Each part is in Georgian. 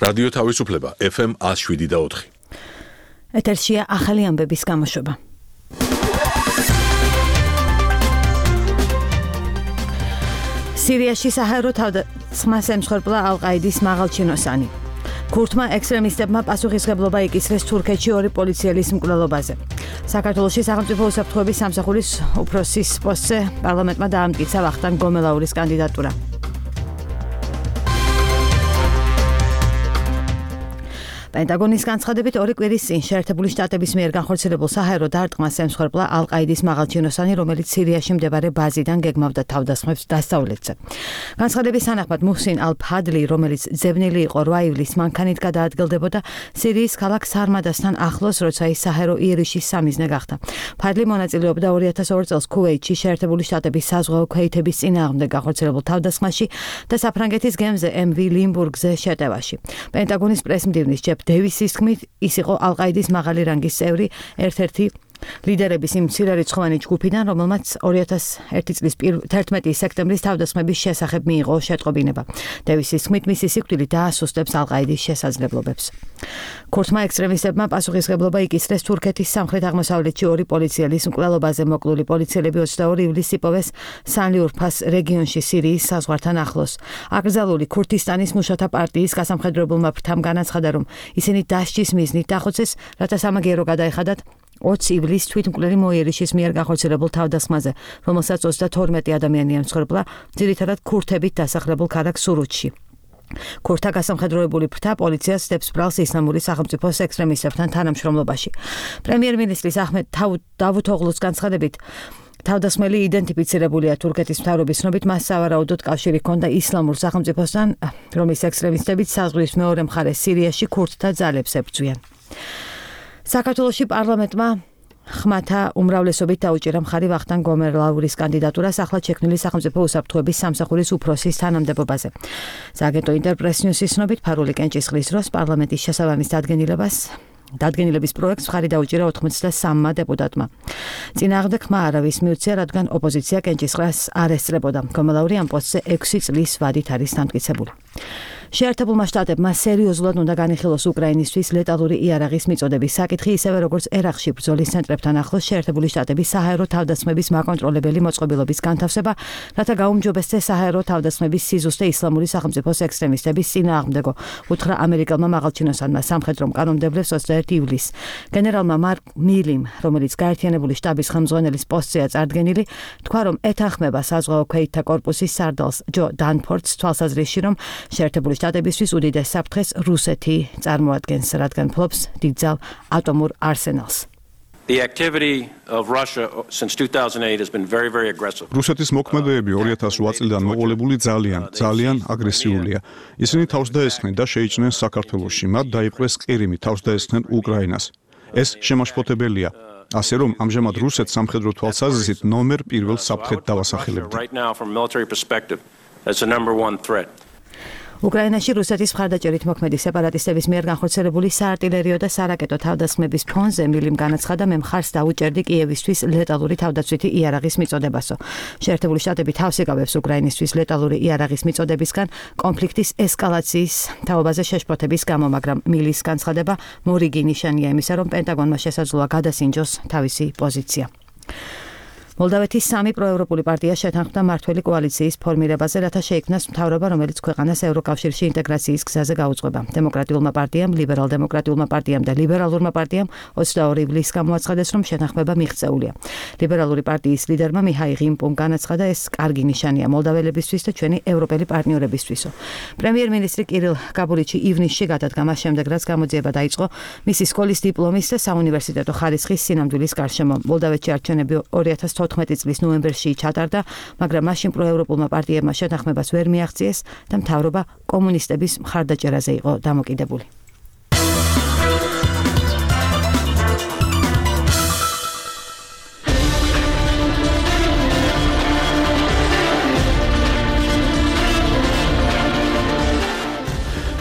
რადიო თავისუფლება FM 107.4. ეთერშია ახალი ამბების გამოშვება. სირიაში საჰაერო თავდასხმას ემსხვერპლა ალ-ყაიდის მაღალჩინოსანი. ქურთმა ექსტრემისტებმა პასუხისმგებლობა იკისრეს თურქეთში 2 პოლიციელის მკვლელობაზე. საქართველოში სახელმწიფო უსაფრთხოების სამსახურის უფროსის პოსტზე პარლამენტმა დაამტკიცა ვახტანგ გომელაურის კანდიდატურა. პენტაგონის განცხადებით 2 კვირის წინ შეერთებული შტატების მიერ განხორციელებულ საჰაერო დარტყმას ემსხვერპლა ალ-ყაიდის მაღალჩინოსანი, რომელიც სირიაში მდებარე ბაზიდან გეგმავდა თავდასხმებს დასავლეთზე. განცხადების თანახმად მუჰსინ ალ-ფადლი, რომელიც ძებნილი იყო 8 ივლისს მანქანით გადაადგილდებოდა სირიის ქალაქ სარმადასთან ახლოს, როცა ის საჰაერო იერიშის სამიზნე გახდა. ფადლი მონაწილეობდა 2002 წელს ქუვეითში შეერთებული შტატების საზღვაო ქვეითების წინააღმდეგ განხორციელებულ თავდასხმაში და საფრანგეთის გემზე MV ლიმბურგზე შეტევაში. პენტაგონის პრესმდივნის ჯეფ დევისის თქმით, ის იყო ალ-ყაიდის მაღალი რანგის წევრი, ერთ-ერთი ლიდერების იმ მცირერიცხოვანი ჯგუფიდან, რომელმაც 2001 წლის 11 სექტემბრის თავდასხმების შესახებ მიიღო შეტყობინება. დევისის თქმით, მისი სიკვდილი დაასუსტებს ალ-ყაიდის შესაძლებლობებს. ქურთმა ექსტრემისტებმა პასუხისმგებლობა იკისრეს თურქეთის სამხრეთ-აღმოსავლეთში 2 პოლიციელის მკვლელობაზე. მოკლული პოლიციელები 22 ივლისს იპოვეს სანლიურფას რეგიონში სირიის საზღვართან ახლოს. აკრძალული ქურთისტანის მუშათა პარტიის გასამხედროებულმა ფრთამ განაცხადა, რომ ისინი დასჯის მიზნით დახოცეს, რათა სამაგიერო გადაეხადათ 20 ივლისს თვითმკვლელი მოიერიშის მიერ განხორციელებულ თავდასხმაზე, რომელსაც 32 ადამიანი ემსხვერპლა, ძირითადად ქურთებით დასახლებულ ქალაქ სურუჩში. ქურთთა გასამხედროებული ფრთა პოლიციას სდებს ბრალს ისლამური სახელმწიფოს ექსტრემისტებთან თანამშრომლობაში. პრემიერ-მინისტრის აჰმედ დავუთოღლუს განცხადებით, თავდასხმელი იდენტიფიცირებულია თურქეთის მთავრობის ცნობით, მას სავარაუდოდ კავშირი ჰქონდა ისლამურ სახელმწიფოსთან, რომლის ექსტრემისტებიც საზღვრის მეორე მხარეს სირიაში ქურთთა ძალებს ებრძვიან. საქართველოში პარლამენტმა ხმათა უმრავლესობით დაუჭირა მხარი ვახტანგ გომელაურის კანდიდატურას ახლად შექმნილი სახელმწიფო უსაფრთხოების სამსახურის უფროსის თანამდებობაზე. სააგენტო ინტერპრეს ნიუსის ცნობით, ფარული კენჭისყრის დროს პარლამენტის შესაბამის დადგენილების პროექტს მხარი დაუჭირა 83 დეპუტატმა. წინააღმდეგ ხმა არავის მიუწია, რადგან ოპოზიცია კენჭისყრას არ ესწრებოდა. გომელაური ამ პოსტზე 6 წლის ვადით არის დამტკიცებული. შეერთებულმა შტატებმა სერიოზულად უნდა განიხილოს უკრაინისთვის ლეტალური იარაღის მიწოდების საკითხი, ისევე როგორც ერაყში ბრძოლის ცენტრებთან ახლოს შეერთებული შტატების საჰაერო თავდასხმების მაკონტროლებელი მოწყობილობის განთავსება, რათა გაუმჯობესდეს საჰაერო თავდასხმების სიზუსტე ისლამური სახელმწიფოს ექსტრემისტების წინააღმდეგო, უთხრა ამერიკელმა მაღალჩინოსანმა სამხედრო მკანონმდებლებს 21 ივლისს. გენერალმა მარკ მილიმ, რომელიც გაერთიანებული შტაბის ხელმძღვანელის პოსტზეა წარდგენილი, თქვა, რომ ეთანხმება საზღვაო ქვეითთა კორპუსის სარდალს ჯო დანფორდს თვალსაზრისში, რომ შეერთებული შტატებისთვის უდიდეს საფრთხეს რუსეთი წარმოადგენს, რადგან ფლობს დიდძალ ატომურ არსენალს. The activity of Russia since 2008 has been very, very aggressive. რუსეთის მოქმედებები 2008 წლიდან მოყოლებული ძალიან აგრესიულია. ისინი თავს დაესხნენ და შეიჭრნენ საქართველოში, მათ დაიპყრეს ყირიმი, თავს დაესხნენ უკრაინას. ეს შემაშფოთებელია. ასე რომ ამჟამად რუსეთს სამხედრო თვალსაზრისით ნომერ 1 საფრთხედ დავასახელებთ. Right now from a military perspective, that's the number 1 threat. უკრაინაში რუსეთის მხარდაჭერით მოქმედი სეპარატისტების მიერ განხორციელებული საარტილერიო და სარაკეტო თავდასხმების ფონზე მილიმ განაცხადა, მე მხარს დაუჭერდი კიევისთვის ლეტალური თავდაცვითი იარაღის მიწოდებასო. შეერთებული შტატები თავს იკავებს უკრაინისთვის ლეტალური იარაღის მიწოდებისგან კონფლიქტის ესკალაციის თაობაზე შეშფოთების გამო, მაგრამ მილის განცხადება მორიგი ნიშანია იმისა, რომ პენტაგონმა შესაძლოა გადასინჯოს თავისი პოზიცია. მოლდავეთის 3 პროევროპული პარტია შეთანხმდა მმართველი კოალიციის ფორმირებაზე, რათა შეიქმნას მთავრობა, რომელიც ქვეყანას ევროკავშირში ინტეგრაციის გზაზე გაუძღვება. დემოკრატიულმა პარტიამ, ლიბერალ-დემოკრატიულმა პარტიამ და ლიბერალურმა პარტიამ 22 ივლისს გამოაცხადეს, რომ შეთანხმება მიღწეულია. ლიბერალური პარტიის ლიდერმა მიჰაილ ღიმპუმ განაცხადა, ეს კარგი ნიშანია მოლდაველებისთვის და ჩვენი ევროპელი პარტნიორებისთვისო. პრემიერ-მინისტრი კირილ კაბულიჩი ივნისში გადადგა მას შემდეგ, რაც გამოძიება დაიწყო მისი სკოლის დიპლომის და საუნივერსიტეტო ხარისხის სინამდვილის გარშემო. მოლდავეთში არჩევნები 2014 წლის ნოემბერში ჩატარდა, მაგრამ მაშინ პროევროპულმა პარტიებმა შეთანხმებას ვერ მიაღწიეს და მთავრობა კომუნისტების მხარდაჭერაზე იყო დამოკიდებული.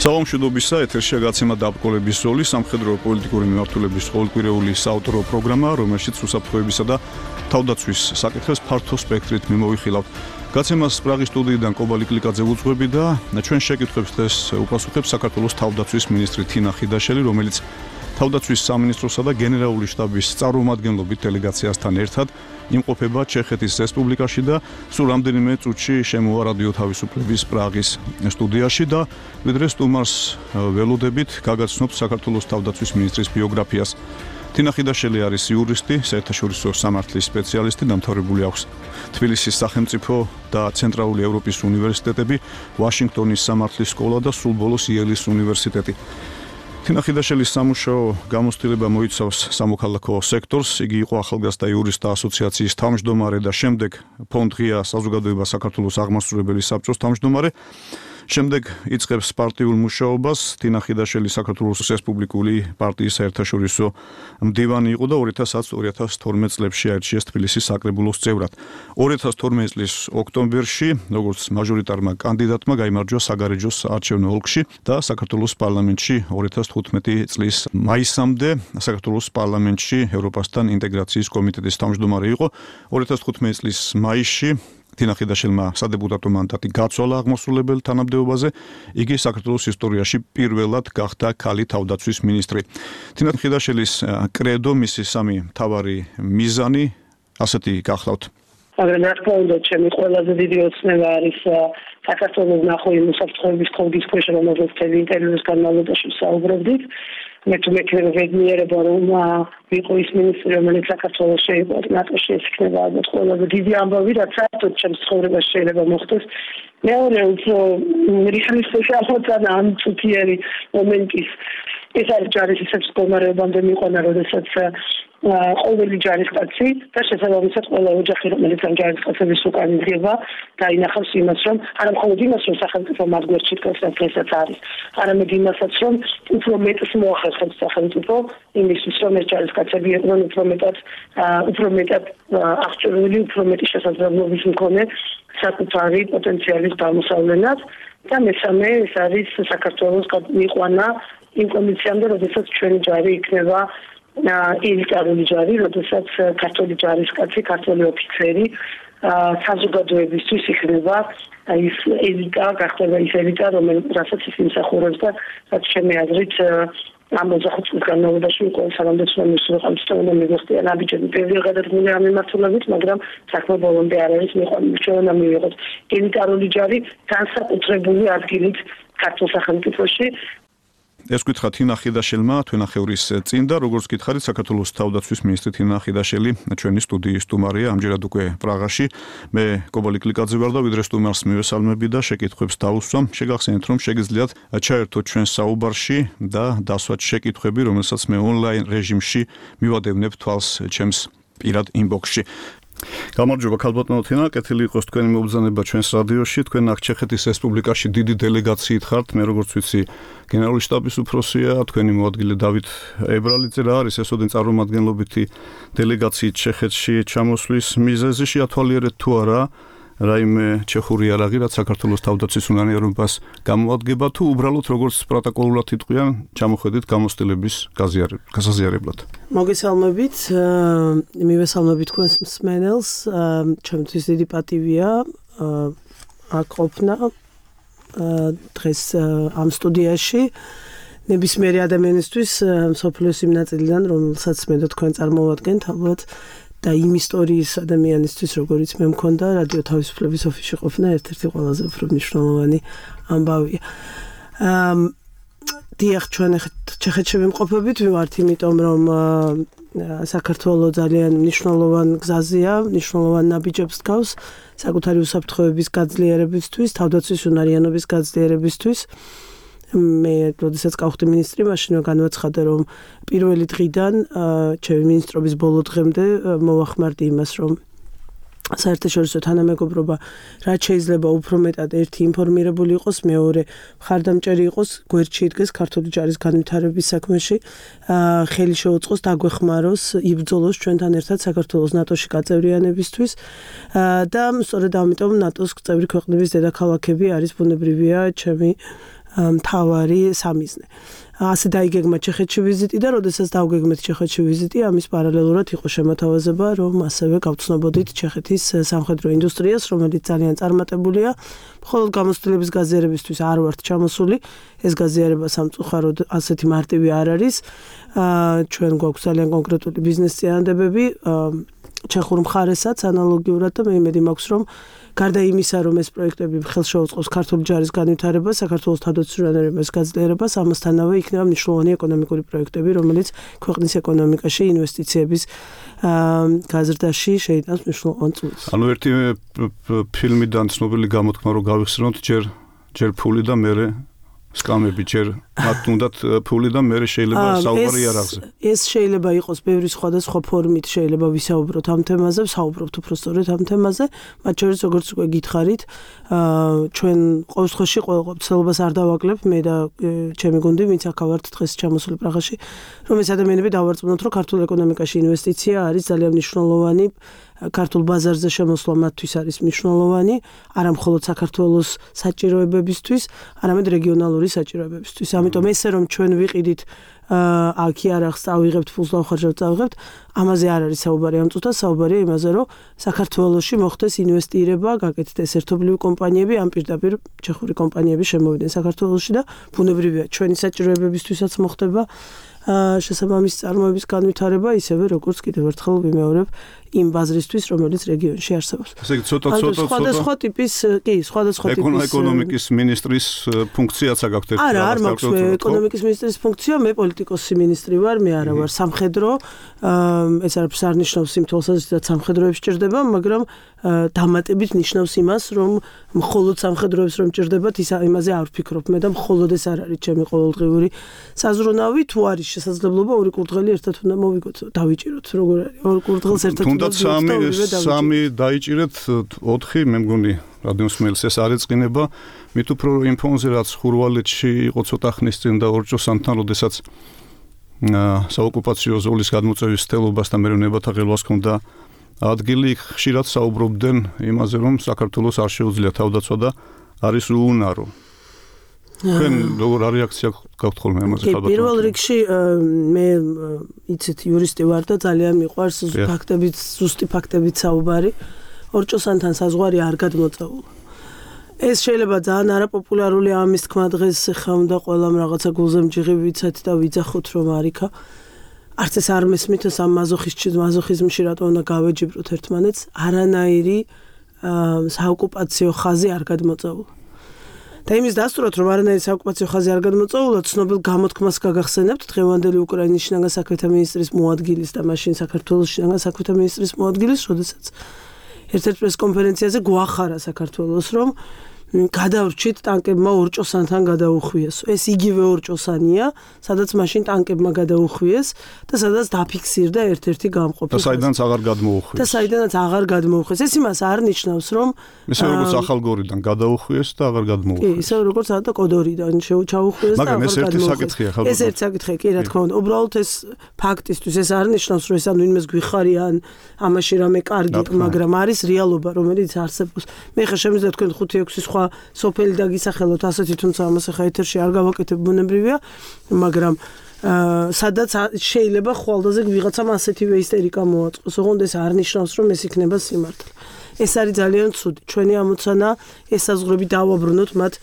საომშვიდობისა ეთერშია გაცემა დაბრკოლების ზოლი სამხედრო პოლიტიკური მიმართულების ყოველკვირეული საავტორო პროგრამა, რომელშიც უსაფრთხოებისა და თავდაცვის საკითხებს ფართო სპექტრით მიმოვიხილავთ. გაცემას პრაღის სტუდიიდან კობალი კლიკაძე უძღვები და ჩვენ შეკითხვებს დღეს უპასუხებს საქართველოს თავდაცვის მინისტრი თინა ხიდაშელი, რომელიც თავდაცვის სამინისტროსა და გენერალური შტაბის წარმომადგენლობით დელეგაციასთან ერთად იმყოფება ჩეხეთის რესპუბლიკაში და სულ რამდენიმე წუთში შემოვა რადიო თავისუფლების პრაღის სტუდიაში და ვიდრე სტუმარს ველოდებით გაგაცნობთ საქართველოს თავდაცვის მინისტრის ბიოგრაფიას. თინა ხიდაშელი არის იურისტი, საერთაშორისო სამართლის სპეციალისტი, დამთავრებული აქვს თბილისის სახელმწიფო და ცენტრალური ევროპის უნივერსიტეტები, ვაშინგტონის სამართლის სკოლა და სულ ბოლოს იელის უნივერსიტეტი. თინა ხიდაშელის სამუშაო გამოცდილება მოიცავს სამოქალაქო სექტორს, იგი იყო ახალგაზრდა იურისტთა ასოციაციის თავმჯდომარე და შემდეგ ფონდ ღია საზოგადოება საქართველოს აღმასრულებელი საბჭოს თავმჯდომარე. შემდეგ იწყებს პარტიულ მუშაობას. თინა ხიდაშელი საქართველოს რესპუბლიკური პარტიის საერთაშორისო მდივანი იყო და 2010-2012 წლებში აირჩიეს თბილისის საკრებულოს წევრად. 2012 წლის ოქტომბერში, როგორც მაჟორიტარმა კანდიდატმა გაიმარჯვა საგარეჯოს არჩევნო ოლქში და საქართველოს პარლამენტში 2015 წლის მაისამდე საქართველოს პარლამენტში ევროპასთან ინტეგრაციის კომიტეტის თავმჯდომარე იყო. 2015 წლის მაისში თინა ხიდაშელმა სადეპუტატო მანდატი გაცვალა აღმასრულებელ თანამდებობაზე. იგი საქართველოს ისტორიაში პირველად გახდა ქალი თავდაცვის მინისტრი. თინა ხიდაშელის კრედო, მისი სამი მთავარი მიზანი ასეთი გახლავთ. მაგრამ რა თქმა უნდა, ჩემი ყველაზე დიდი ოცნება არის საქართველოს ნახო იმ უსაფრთხოების კოდის ქვეშ, რომელზეც მთელი ინტერვიუს განმავლობაში ვსაუბრობდით. მე თუ მექნება ვეგნიერება, რომ ვიყო ის მინისტრი, რომელიც საქართველოს შეიყო ნატოში, ეს იქნება ალბათ ყველაზე დიდი ამბავი, რაც საერთოდ ჩემს ცხოვრებაში შეიძლება მოხდეს. მეორე უფრო რეალისტური აღმოჩენა ამ წუთიერი მომენტის ეს არის ჯარისის მდგომარეობამდე მიყვანა, როდესაც ყოველი ჯარისკაცი და შესაბამისად ყველა ოჯახი, რომელიც ამ ჯარისკაცების უკან იდგება, დაინახავს იმას, რომ არა მხოლოდ იმას, რომ სახელმწიფო მათ გვერდში დგას, რასაც არის, არამედ იმასაც, რომ უფრო მეტს მოახერხებს სახელმწიფო იმისთვის, რომ ეს ჯარისკაცები იყვნენ უფრო მეტად აღჭურვილი, უფრო მეტი შესაძლებლობის მქონე საკუთარი პოტენციალის გამოსავლენად და მესამე ეს არის საქართველოს მიყვანა იმ კონდიციამდე, როდესაც ჩვენი ჯარი იქნება ელიტარული ჯარი, როდესაც ქართული ჯარისკაცი, ქართული ოფიცერი საზოგადოებისთვის იქნება ის ელიტა, გახდება ის ელიტა, რომელსაც ის იმსახურებს და რაც ჩემი აზრით ამ 25 წლის განმავლობაში უკვე სამამდეცნო მინისტრმა უნდა მივიღწია ნაბიჯები ბევრი გადადგმული ამ მიმართულებით, მაგრამ საქმე ბოლომდე არ არის მიყვანილი და მივიღოთ ელიტარული ჯარი განსაკუთრებული ადგილით ქართულ სახელმწიფოში. ეს გითხრა თინა ხიდაშელმა თვენახევრის წინ და როგორც გითხარით, საქართველოს თავდაცვის მინისტრი თინა ხიდაშელი ჩვენი სტუდიის სტუმარია, ამჯერად უკვე პრაღაში. მე კობალი კლიკაძე ვარ და ვიდრე სტუმარს მივესალმები და შეკითხვებს დავუსვამ. შეგახსენეთ, რომ შეგიძლიათ ჩაერთოთ ჩვენ საუბარში და დასვათ შეკითხვები, რომელსაც მე ონლაინ რეჟიმში მივადევნებ თვალს ჩემს პირად ინბოქსში. გამარჯობა ქალბატონო თინა, კეთილი იყოს თქვენი მობრძანება ჩვენს რადიოში. თქვენ აქ ჩეხეთის რესპუბლიკაში დიდი დელეგაციით ხართ. მე როგორც ვიცი, გენერალური შტაბის უფროსია, თქვენი მოადგილე დავით ებრალიძე. რა არის ესოდენ წარმომადგენლობითი დელეგაციით ჩეხეთში ჩამოსვლის მიზეზი? შეათვალიერეთ თუ არა რაიმე ჩეხური იარაღი, რაც საქართველოს თავდაცვის უნარიანობას გამოადგება, თუ უბრალოდ როგორც პროტოკოლურად იტყვიან, ჩამოხედით გამოცდილების გასაზიარებლად. მოგესალმებით, მივესალმებით თქვენს მსმენელს. ჩემთვის დიდი პატივია აქ ყოფნა დღეს ამ სტუდიაში. ნებისმიერი ადამიანისთვის მსოფლიოს იმ ნაწილიდან, რომელსაც მე და თქვენ წარმოვადგენთ, ალბათ და იმ ისტორიის ადამიანისთვის, როგორიც მე მქონდა, რადიო თავისუფლების ოფისში ყოფნა ერთ-ერთი ყველაზე უფრო მნიშვნელოვანი ამბავია. დიახ, ჩვენ ჩეხეთში ვიმყოფებით, ვივართ იმიტომ, რომ საქართველო ძალიან მნიშვნელოვან გზაზეა, მნიშვნელოვან ნაბიჯებს დგავს საკუთარი უსაფრთხოების გაძლიერებისთვის, თავდაცვის უნარიანობის გაძლიერებისთვის. მე როდესაც გავხდი მინისტრი, მაშინვე განვაცხადა, რომ პირველი დღიდან ჩემი მინისტრობის ბოლო დღემდე მოვახმარდი იმას, რომ საერთაშორისო თანამეგობრობა რაც შეიძლება უფრო მეტად ერთი ინფორმირებული იყოს, მეორე მხარდამჭერი იყოს, გვერდში იდგეს ქართული ჯარის განვითარების საქმეში, ხელი შეუწყოს დაგვეხმაროს, იბრძოლოს ჩვენთან ერთად საქართველოს ნატოში გაწევრიანებისთვის და სწორედ ამიტომ ნატოს წევრი ქვეყნების დედაქალაქები არის ბუნებრივია ჩემი მთავარი სამიზნე. ასე დაიგეგმა ჩეხეთში ვიზიტი და როდესაც დავგეგმეთ ჩეხეთში ვიზიტი, ამის პარალელურად იყო შემოთავაზება, რომ ასევე გავცნობოდით ჩეხეთის სამხედრო ინდუსტრიას, რომელიც ძალიან წარმატებულია. მხოლოდ გამოცდილების გაზიარებისთვის არ ვართ ჩამოსული. ეს გაზიარება სამწუხაროდ ასეთი მარტივი არ არის. ჩვენ გვაქვს ძალიან კონკრეტული ბიზნეს წინადადებები ჩეხურ მხარესაც ანალოგიურად და მე იმედი მაქვს, რომ გარდა იმისა, რომ ეს პროექტები ხელს შეუწყობს ქართული ჯარის განვითარებას, საქართველოს თავდაცვის რანერების გაძლიერებას, ამასთანავე იქნება მნიშვნელოვანი ეკონომიკური პროექტები, რომელიც ქვეყნის ეკონომიკაში ინვესტიციების გაზრდაში შეიტანს მნიშვნელოვან წვლილს. ანუ ერთი ფილმიდან ცნობილი გამოთქმა რომ გავიხსენოთ, ჯერ ფული და მერე სკამები, ჯერ მათ უნდათ ფული და მერე შეიძლება საუბარი იარაღზე. ეს შეიძლება იყოს ბევრი სხვადასხვა ფორმით, შეიძლება ვისაუბროთ ამ თემაზე, ვსაუბრობთ უბრალოდ ამ თემაზე, მათ შორის როგორც უკვე გითხარით, ჩვენ ყოველ შემთხვევაში ყოველ ცდილობას არ დავაკლებ, მე და ჩემი გუნდი, ვინც აქ ვართ დღეს ჩამოსული პრაღაში, რომ ეს ადამიანები დავარწმუნოთ, რომ ქართულ ეკონომიკაში ინვესტიცია არის ძალიან მნიშვნელოვანი. ქართულ ბაზარზე შემოსვლა მათთვის არის მნიშვნელოვანი, არა მხოლოდ საქართველოს საჭიროებებისთვის, არამედ რეგიონალური საჭიროებებისთვის. ამიტომ ესე რომ ჩვენ ვიყიდით აქ იარაღს წავიღებთ, ფულს დავხარჯავთ, წავიღებთ, ამაზე არ არის საუბარი ამ წუთას, საუბარია იმაზე, რომ საქართველოში მოხდეს ინვესტირება, გაკეთდეს ერთობლივი კომპანიები, ამ პირდაპირ ჩეხური კომპანიები შემოვიდნენ საქართველოში და ბუნებრივია ჩვენი საჭიროებებისთვისაც მოხდება შესაბამისი წარმოების განვითარება, ისევე როგორც კიდევ ერთხელ ვიმეორებ იმ ბაზრისთვის, რომელიც რეგიონში არსებობს. ესე იგი ცოტა სხვადასხვა ტიპის, სხვადასხვა ტიპის ეკონომიკის მინისტრის ფუნქციაც აქვს ერთი. არა, არ მაქვს მე ეკონომიკის მინისტრის ფუნქცია, მე პოლიტიკოსი მინისტრი ვარ, მე არა ვარ სამხედრო. ეს არაფერს არ ნიშნავს იმ თვალსაზრისით, სამხედროებს ჭირდება, მაგრამ დამატებით ნიშნავს იმას, რომ მხოლოდ სამხედროებს რომ ჭირდებათ, იმაზე არ ვფიქრობ მე და მხოლოდ ეს არ არის ჩემი ყოველდღიური საზრუნავი, თუ არის შესაძლებლობა ორი კურდღელი ერთად უნდა მოვიგოთ, დავიჭიროთ, როგორ არის? ორი კურდღელს ერთად უნდა სამი დაიჭირეთ, 4 მე მგონი რადიოსმეილს ეს არ ეწყინება, მით უფრო იმ ფონზე რაც ხურვალეთში იყო ცოტა ხნის წინ და ორჭოსანთან, როდესაც საოკუპაციო ზოლის გადმოწევის სტელობასთან მერევნებათა ხელვას ჰქონდა ადგილი, ხშირად საუბრობდნენ იმაზე, რომ საქართველოს არ შეუძლია თავდაცვა და არის უუნარო. თქვენ როგორ რეაქცია გაქვთ ხოლმე ამაზე ხალხად? პირველ რიგში მე იცით იურისტი ვარ და ძალიან მიყვარს ზუსტი ფაქტებით საუბარი. ორჭოსანთან საზღვარი არ გადმოწეულა. ეს შეიძლება ძალიან არაპოპულარული ამის თქმა დღეს ხა უნდა ყველამ რაღაცა გულზემჯიღი ვიცათ და ვიძახოთ რომ არიქა. არც ეს არ მესმით ამ მაზოხიზმში რატო უნდა გავეჯიბროთ ერთმანეთს, არანაირი საოკუპაციო ხაზი არ გადმოწეულა. და იმის დასტურად რომ არანაირი საოკუპაციო ხაზი არ გადმოწეულა, ცნობილ გამოთქმას გაგახსენებთ დღევანდელი უკრაინის შინაგან საქმეთა მინისტრის მოადგილის და მაშინ საქართველოს შინაგან საქმეთა მინისტრის მოადგილის, როდესაც ერთ-ერთ პრესკონფერენციაზე გვახარა საქართველოს, რომ გადავრჩით ტანკებმა ორჭოსანთან გადაუხვიეს. ეს იგივე ორჭოსანია, სადაც მაშინ ტანკებმა გადაუხვიეს და სადაც დაფიქსირდა ერთ-ერთი გამყოფი. და საიდანაც აღარ გადმოუხვიეს. და საიდანაც აღარ გადმოუხვიეს. ეს იმას არ ნიშნავს, რომ ისე როგორც ახალგორიდან გადაუხვიეს და აღარ გადმოუხვიეს. კი, ისე როგორც და კოდორიდან ჩაუხვიეს და აღარ მაგრამ გადმოუხვიეს. ეს ერთი საკითხია ხალხო. ეს ერთი საკითხია, კი, რა თქმა უნდა. უბრალოდ ეს ფაქტისთვის ეს არ ნიშნავს, რომ ეს ანუ ვინმეს გვიხარიან, ამაში რამე კარგი, მაგრამ არის რეალობა, რომელიც არსებობს. მე ხა შემიძლია თქვენ 5-6 სხვა სოფელი დაგისახელოთ ასეთი, თუმცა ამას ახლა ეთერში არ გავაკეთებ, ბუნებრივია, მაგრამ სადაც შეიძლება ხვალდაზე ვიღაცამ ასეთივე ისტერიკა მოაწყოს, ოღონდ ეს არ ნიშნავს, რომ ეს იქნება სიმართლე. ეს არის ძალიან ცუდი. ჩვენი ამოცანა ესაზღვრები დავაბრუნოთ მათ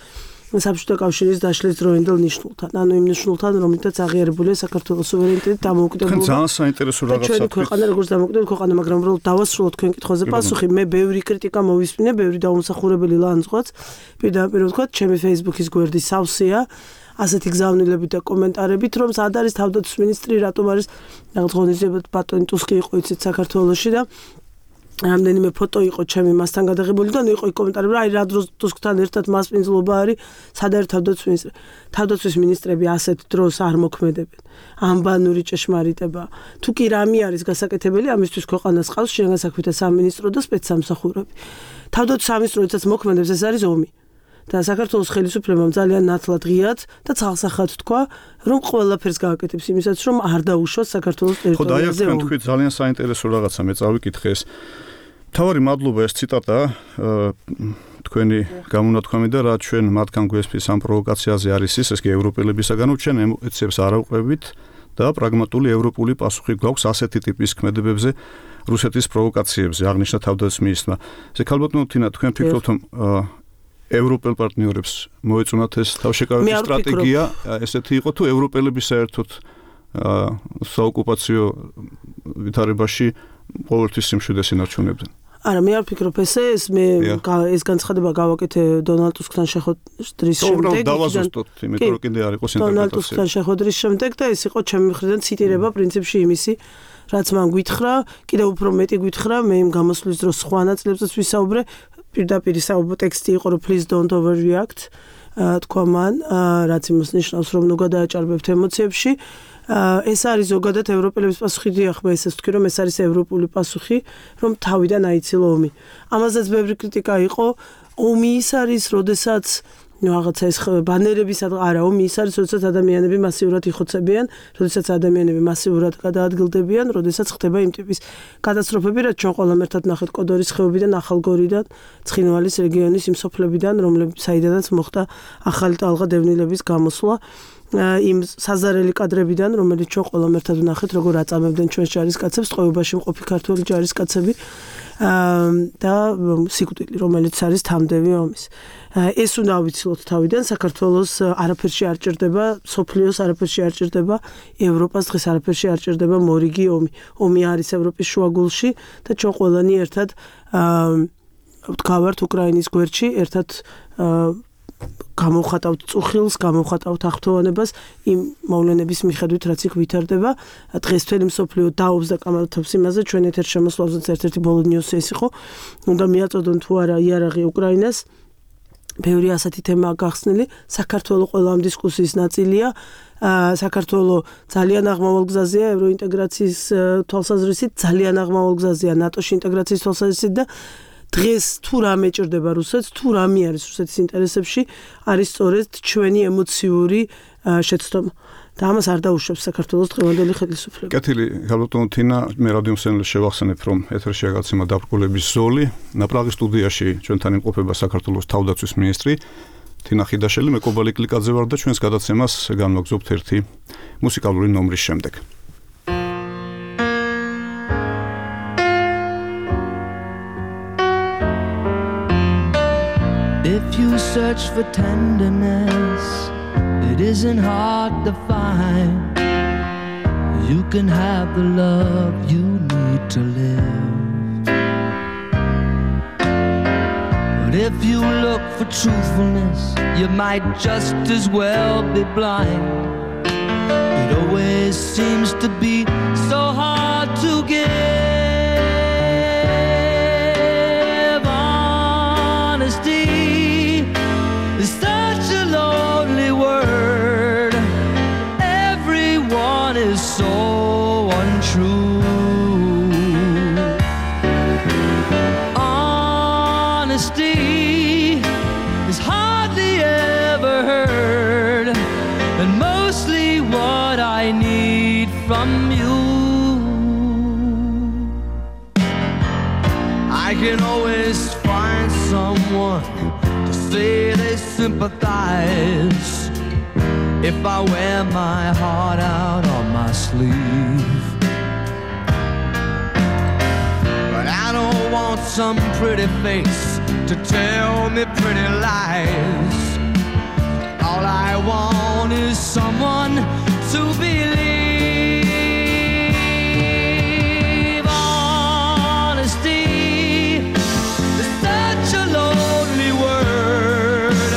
საბჭოთა კავშირის დაშლის დროინდელ ნიშნულთან, ანუ იმ ნიშნულთან, რომლითაც აღიარებულია საქართველოს სუვერენიტეტი, დამოუკიდებლობა. ძალიან საინტერესო რაღაცა. ჩვენი ქვეყანა როგორც დამოუკიდებელი ქვეყანა, მაგრამ უბრალოდ დავასრულოთ თქვენ კითხვაზე პასუხი. მე ბევრი კრიტიკა მოვისმინე, ბევრი დაუმსახურებელი ლანძღვაც. პირდაპირ ვთქვათ, ჩემი Facebook-ის გვერდი სავსეა ასეთი გზავნილებით და კომენტარებით, რომ სად არის თავდაცვის მინისტრი, რატომ არის რაღაც ღონისძიებად ბატონი ტუსკი იყო იცით საქართველოში და რამდენიმე ფოტო იყო ჩემი მასთან გადაღებული და იყო კომენტარები, აი რა დროს ტუსკთან ერთად მასპინძლობა არის, სად არის თავდაცვის მინისტრი. თავდაცვის მინისტრები ასეთ დროს არ მოქმედებენ. ამბანური ჭეშმარიტება. თუ კი რამე არის გასაკეთებელი, ამისთვის ქვეყანას ყავს შინაგან საქმეთა სამინისტრო და სპეცსამსახურები. თავდაცვის სამინისტროთაც მოქმედებს, ეს არის ომი. და საქართველოს ხელისუფლებამ ძალიან ნათლად ღიად და ცალსახად თქვა, რომ ყველაფერს გააკეთებს იმისაც, რომ არ დაუშვას საქართველოს ტერიტორიაზე. ხო, თქვი ძალიან საინტერესო რაღაცა, მე წავიკითხე ეს. თავარი მადლობა ეს ციტატა თქვენი გამონათქვამი და რა ჩვენ მათგან გვესმის ამ პროვოკაციაზე არის ის კი ევროპელებისაგანო ჩვენ ემოციებს არ ავყვებით და პრაგმატული ევროპული პასუხი გვაქვს ასეთი ტიპის ქმედებებზე რუსეთის პროვოკაციებზე აღნიშნა თავდაცვის მინისტრმა. ზექალბატონო თინა თქვენ ფიქრობთ რომ ევროპელ პარტნიორებს მოეწონათ ეს თავშეკავების სტრატეგია ესეთი იყო თუ ევროპელები საერთოდ საოკუპაციო ვითარებაში ყოველთვის სიმშვიდეს ინარჩუნებდნენ? არა, მე არ ვფიქრობ ესე, ეს განცხადება გავაკეთე დონალდ ტუსკთან შეხვედრის შემდეგ. დავაზუსტოთ, იმიტომ რომ კიდე არ იყოს ინტერპრეტაცია. დონალდ ტუსკთან შეხვედრის შემდეგ და ეს იყო ჩემი მხრიდან ციტირება პრინციპში იმისი, რაც მან გითხრა, კიდევ უფრო მეტი გითხრა, მე იმ გამოსვლის დროს სხვა ნაწილებსაც ვისაუბრე, პირდაპირ ტექსტი იყო, რომ please don't overreact, თქვა მან, რაც იმას ნიშნავს, რომ ნუ გადააჭარბებთ ემოციებში. ეს არის ზოგადად ევროპელების პასუხი, დიახ, მე ესეც ვთქვი, რომ ეს არის ევროპული პასუხი, რომ თავიდან აიცილო ომი. ამაზეც ბევრი კრიტიკა იყო. ომი ის არის, როდესაც რაღაცა ეს ბანერების არა, ომი ის არის, როდესაც ადამიანები მასიურად იხოცებიან, როდესაც ადამიანები მასიურად გადაადგილდებიან, როდესაც ხდება იმ ტიპის კატასტროფები, რაც ჩვენ ყველამ ერთად ნახეთ კოდორის ხეობიდან, ახალგორიდან, ცხინვალის რეგიონის იმ სოფლებიდან, საიდანაც მოხდა ახალი ტალღა დევნილების გამოსვლა. იმ საზარელი კადრებიდან, რომელიც ჩვენ ყველამ ერთად ვნახეთ, როგორ აწამებდნენ ჩვენს ჯარისკაცებს, ტყვეობაში მყოფი ქართველი ჯარისკაცები და სიკვდილი, რომელიც არის თამდევი ომის. ეს უნდა ავიცილოთ თავიდან, საქართველოს არაფერში არ ჭირდება, სოფლიოს არაფერში არ ჭირდება, ევროპას დღეს არაფერში არ ჭირდება მორიგი ომი. ომი არის ევროპის შუაგულში და ჩვენ ყველანი ერთად ვდგავართ უკრაინის გვერდში, ერთად გამოვხატავთ წუხილს, გამოვხატავთ აღფრთოვანებას იმ მოვლენების მიხედვით, რაც იქ ვითარდება. დღეს მთელი მსოფლიო დაობს და კამათობს იმაზე, ჩვენ ეთერ შემოსვლაზეც ერთ-ერთი ბოლო ნიუსი ეს იყო. უნდა მიაწოდონ თუ არა იარაღი უკრაინას. ბევრი ასეთი თემაა გახსნილი. საქართველოს ყველა ამ დისკუსიის ნაწილია. საქართველოს ძალიან აღმავალ გზაზეა ევროინტეგრაციის თვალსაზრისით, ძალიან აღმავალ გზაზეა ნატოში ინტეგრაციის თვალსაზრისით და დღეს თუ რამე ჭირდება რუსეთს, თუ რამე არის რუსეთის ინტერესებში, არის სწორედ ჩვენი ემოციური შეცდომა. და ამას არ დაუშვებს საქართველოს დღევანდელი ხელისუფლება. კეთილი, გალბატონო თინა, მე რადიო მსმენელს შევახსენებ, რომ ეთერში გაგაცემა დაბრკოლების ზოლი, ნაპრაღის სტუდიაში ჩვენთან იმყოფება საქართველოს თავდაცვის მინისტრი თინა ხიდაშელი, მე კობალი კლიკაძე ვარ და ჩვენს გადაცემას განვაგრძობთ ერთი მუსიკალური ნომრის შემდეგ. If you search for tenderness, it isn't hard to find. You can have the love you need to live. But if you look for truthfulness, you might just as well be blind. It always seems to be so hard to give. Honesty is such a lonely word. Everyone is so untrue. Honesty is hardly ever heard, and mostly what I need from you. I can always find someone to say they sympathize if I wear my heart out on my sleeve. But I don't want some pretty face to tell me pretty lies. All I want is someone to believe. Honesty is such a lonely word.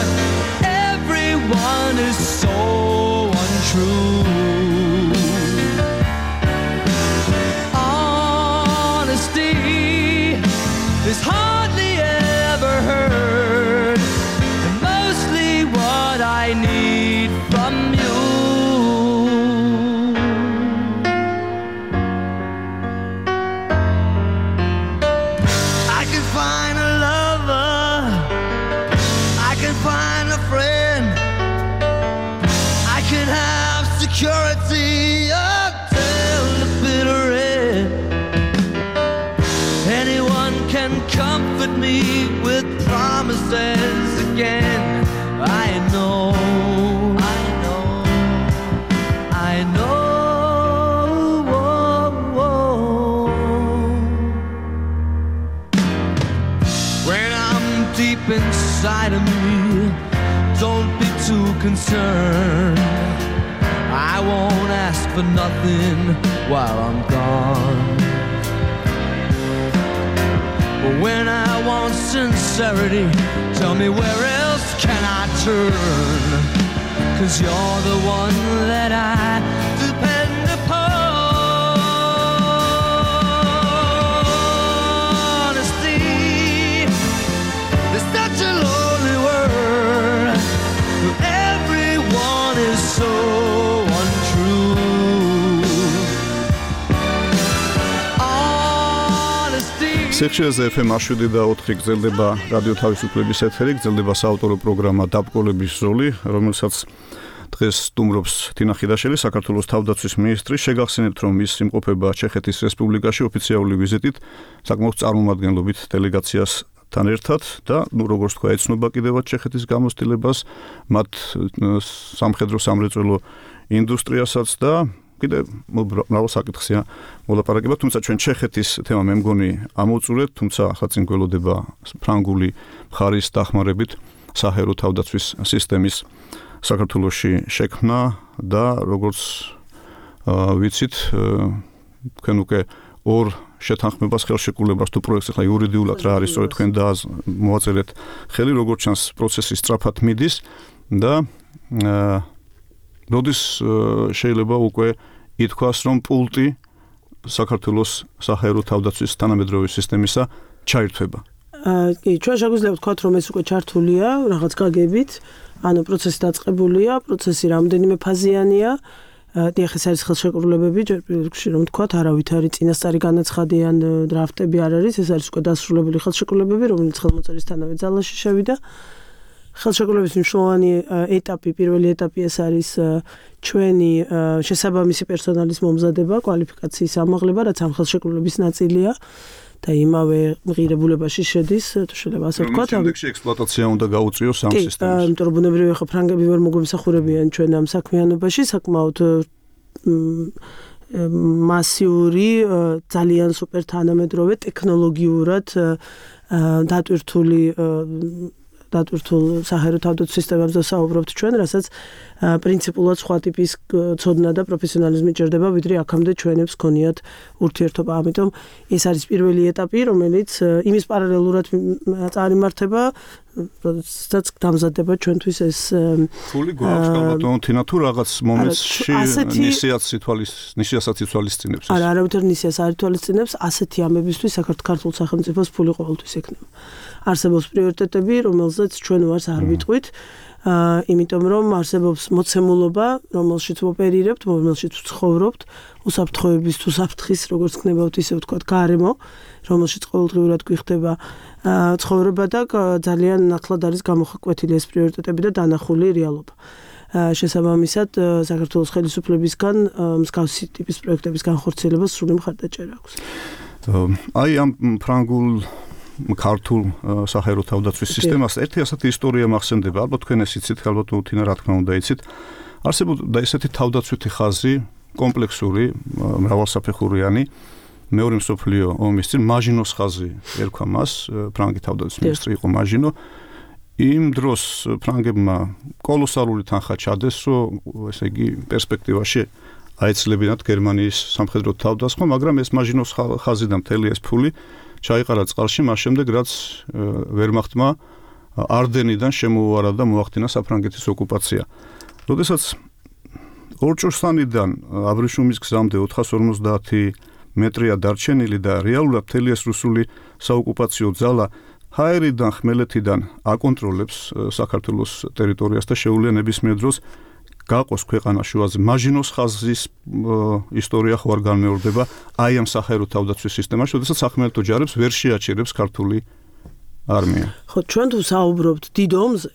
Everyone is so untrue. Honesty is hardly ever heard, and mostly what I need from you. I can find a lover, I can find a friend, I can have security until the bitter end. Anyone can and comfort me with promises again. I know. When I'm deep inside of me, don't be too concerned. I won't ask for nothing while I'm gone. But when I want sincerity, tell me where else can I turn? 'Cause you're the one that I depend upon. Honesty is such a lonely word. Everyone is so untrue. სიხშირეზე FM 107.4 გრძელდება რადიო თავისუფლების ეთერი, გრძელდება საავტორო პროგრამა დაბკოლების ზოლი, რომელსაც დღეს სტუმრობს თინა ხიდაშელი, საქართველოს თავდაცვის მინისტრი. შეგახსენებთ, რომ ის იმყოფება ჩეხეთის რესპუბლიკაში ოფიციალური ვიზიტით, საკმაოდ წარმომადგენლობით დელეგაციასთან ერთად და, როგორც თქვა, ეცნობა კიდევაც ჩეხეთის გამოცდილებას, მათ სამხედრო სამრეწველო ინდუსტრიასაც და კიდე მრავალ საკითხია მოლაპარაკება, თუმცა ჩვენ ჩეხეთის თემა მე მგონი ამოვწურეთ, თუმცა ახლა წინ გველოდება ფრანგული მხარის დახმარებით საჰაერო თავდაცვის სისტემის საქართველოში შექმნა და როგორც ვიცით, თქვენ უკვე ორ შეთანხმებას ხელშეკრულებას თუ პროექტს ახლა იურიდიულად რა არის, სწორედ თქვენ მოაწერეთ ხელი, როგორც ჩანს პროცესი სწრაფად მიდის და როდის შეიძლება უკვე ითქვას, რომ პულტი საქართველოს საჰაერო თავდაცვის თანამედროვე სისტემისა ჩაირთვება? კი, ჩვენ შეგვიძლია ვთქვათ, რომ ეს უკვე ჩართულია რაღაც გაგებით, ანუ პროცესი დაწყებულია, პროცესი რამდენიმე ფაზიანია. დიახ, ეს არის ხელშეკრულებები, ჯერ პირველ რიგში რომ ვთქვათ, არავით არის წინასწარი განაცხადი ან დრაფტები არ არის, ეს არის უკვე დასრულებული ხელშეკრულებები, რომელიც ხელმოწერისთანავე ძალაში შევიდა. ხელშეკრულების მნიშვნელოვანი ეტაპი, პირველი ეტაპი ეს არის ჩვენი შესაბამისი პერსონალის მომზადება, კვალიფიკაციის ამაღლება, რაც ამ ხელშეკრულების ნაწილია და იმავე ღირებულებაში შედის, თუ შეიძლება ასე ვთქვათ. შემდეგში ექსპლუატაცია უნდა გაუწიოს ამ სისტემას. კი, იმიტომ რომ ბუნებრივია ხო ფრანგები ვერ მოგვიმსახურებიან ჩვენ ამ საქმიანობაში, საკმაოდ მასიური, ძალიან სუპერ თანამედროვე, ტექნოლოგიურად დატვირთულ საჰაერო თავდაცვის სისტემებზე საუბრობთ ჩვენ, რასაც პრინციპულად სხვა ტიპის ცოდნა და პროფესიონალიზმი ჭირდება, ვიდრე აქამდე ჩვენებს გქონიათ ურთიერთობა. ამიტომ ეს არის პირველი ეტაპი, რომელიც იმის პარალელურად წარიმართება, როდესაც დამზადდება ჩვენთვის ეს ფული გვაქვს ალბათ თინა თუ რაღაც მომენტში ნისიასაც ითვალისწინებს. არა, არავითარ ნისიას არ ითვალისწინებს, ასეთი ამებისთვის საქართველოს სახელმწიფოს ფული ყოველთვის ექნება. არსებობს პრიორიტეტები, რომელზეც ჩვენ ვარს არ ვიტყვით, იმიტომ რომ არსებობს მოცემულობა, რომელშიც ვოპერირებთ, რომელშიც ვცხოვრობთ, უსაფრთხოების თუ საფრთხის, როგორც ქნებავთ, ისე ვთქვათ, გარემო, რომელშიც ყოველდღიურად გვიხდება ცხოვრება და ძალიან ნათლად არის გამოხკვეთილი ეს პრიორიტეტები და დანახული რეალობა. შესაბამისად, საქართველოს ხელისუფლებისგან მსგავსი ტიპის პროექტების განხორციელებას სრული მხარდაჭერა აქვს. აი ამ ფრანგულ ქართულ საჰაერო თავდაცვის სისტემას ერთი ასეთი ისტორია მახსენდება, ალბათ თქვენ ეს იცით, ალბათ თინა რა თქმა უნდა იცით. არსებობდა ესეთი თავდაცვითი ხაზი, კომპლექსური, მრავალსაფეხურიანი, მეორე მსოფლიო ომის წინ მაჟინოს ხაზი ერქვა მას, ფრანგი თავდაცვის მინისტრი იყო მაჟინო. იმ დროს ფრანგებმა კოლოსალური თანხა ჩადეს, რომ ესე იგი პერსპექტივაში აეცლებინათ გერმანიის სამხედრო თავდასხმა, მაგრამ ეს მაჟინოს ხაზი და მთელი ეს ფული ჩაიყარა წყალში, მას შემდეგ რაც ვერმახტმა არდენიდან შემოუარა და მოახდინა საფრანგეთის ოკუპაცია. როდესაც ორჭოსანიდან აბრეშუმის გზამდე 450 მეტრია დარჩენილი და რეალურად მთელი ეს რუსული საოკუპაციო ძალა ჰაერიდან, ხმელეთიდან აკონტროლებს საქართველოს ტერიტორიას და შეუძლია ნებისმიერ დროს გაყოს ქვეყანა შუაზე. მაჟინოს ხაზის ისტორია ხო არ განმეორდება აი ამ საჰაერო თავდაცვის სისტემაში, როდესაც სახმელეთო ჯარებს ვერ შეაჩერებს ქართული არმია. ხო, ჩვენ თუ საუბრობთ დიდ ომზე,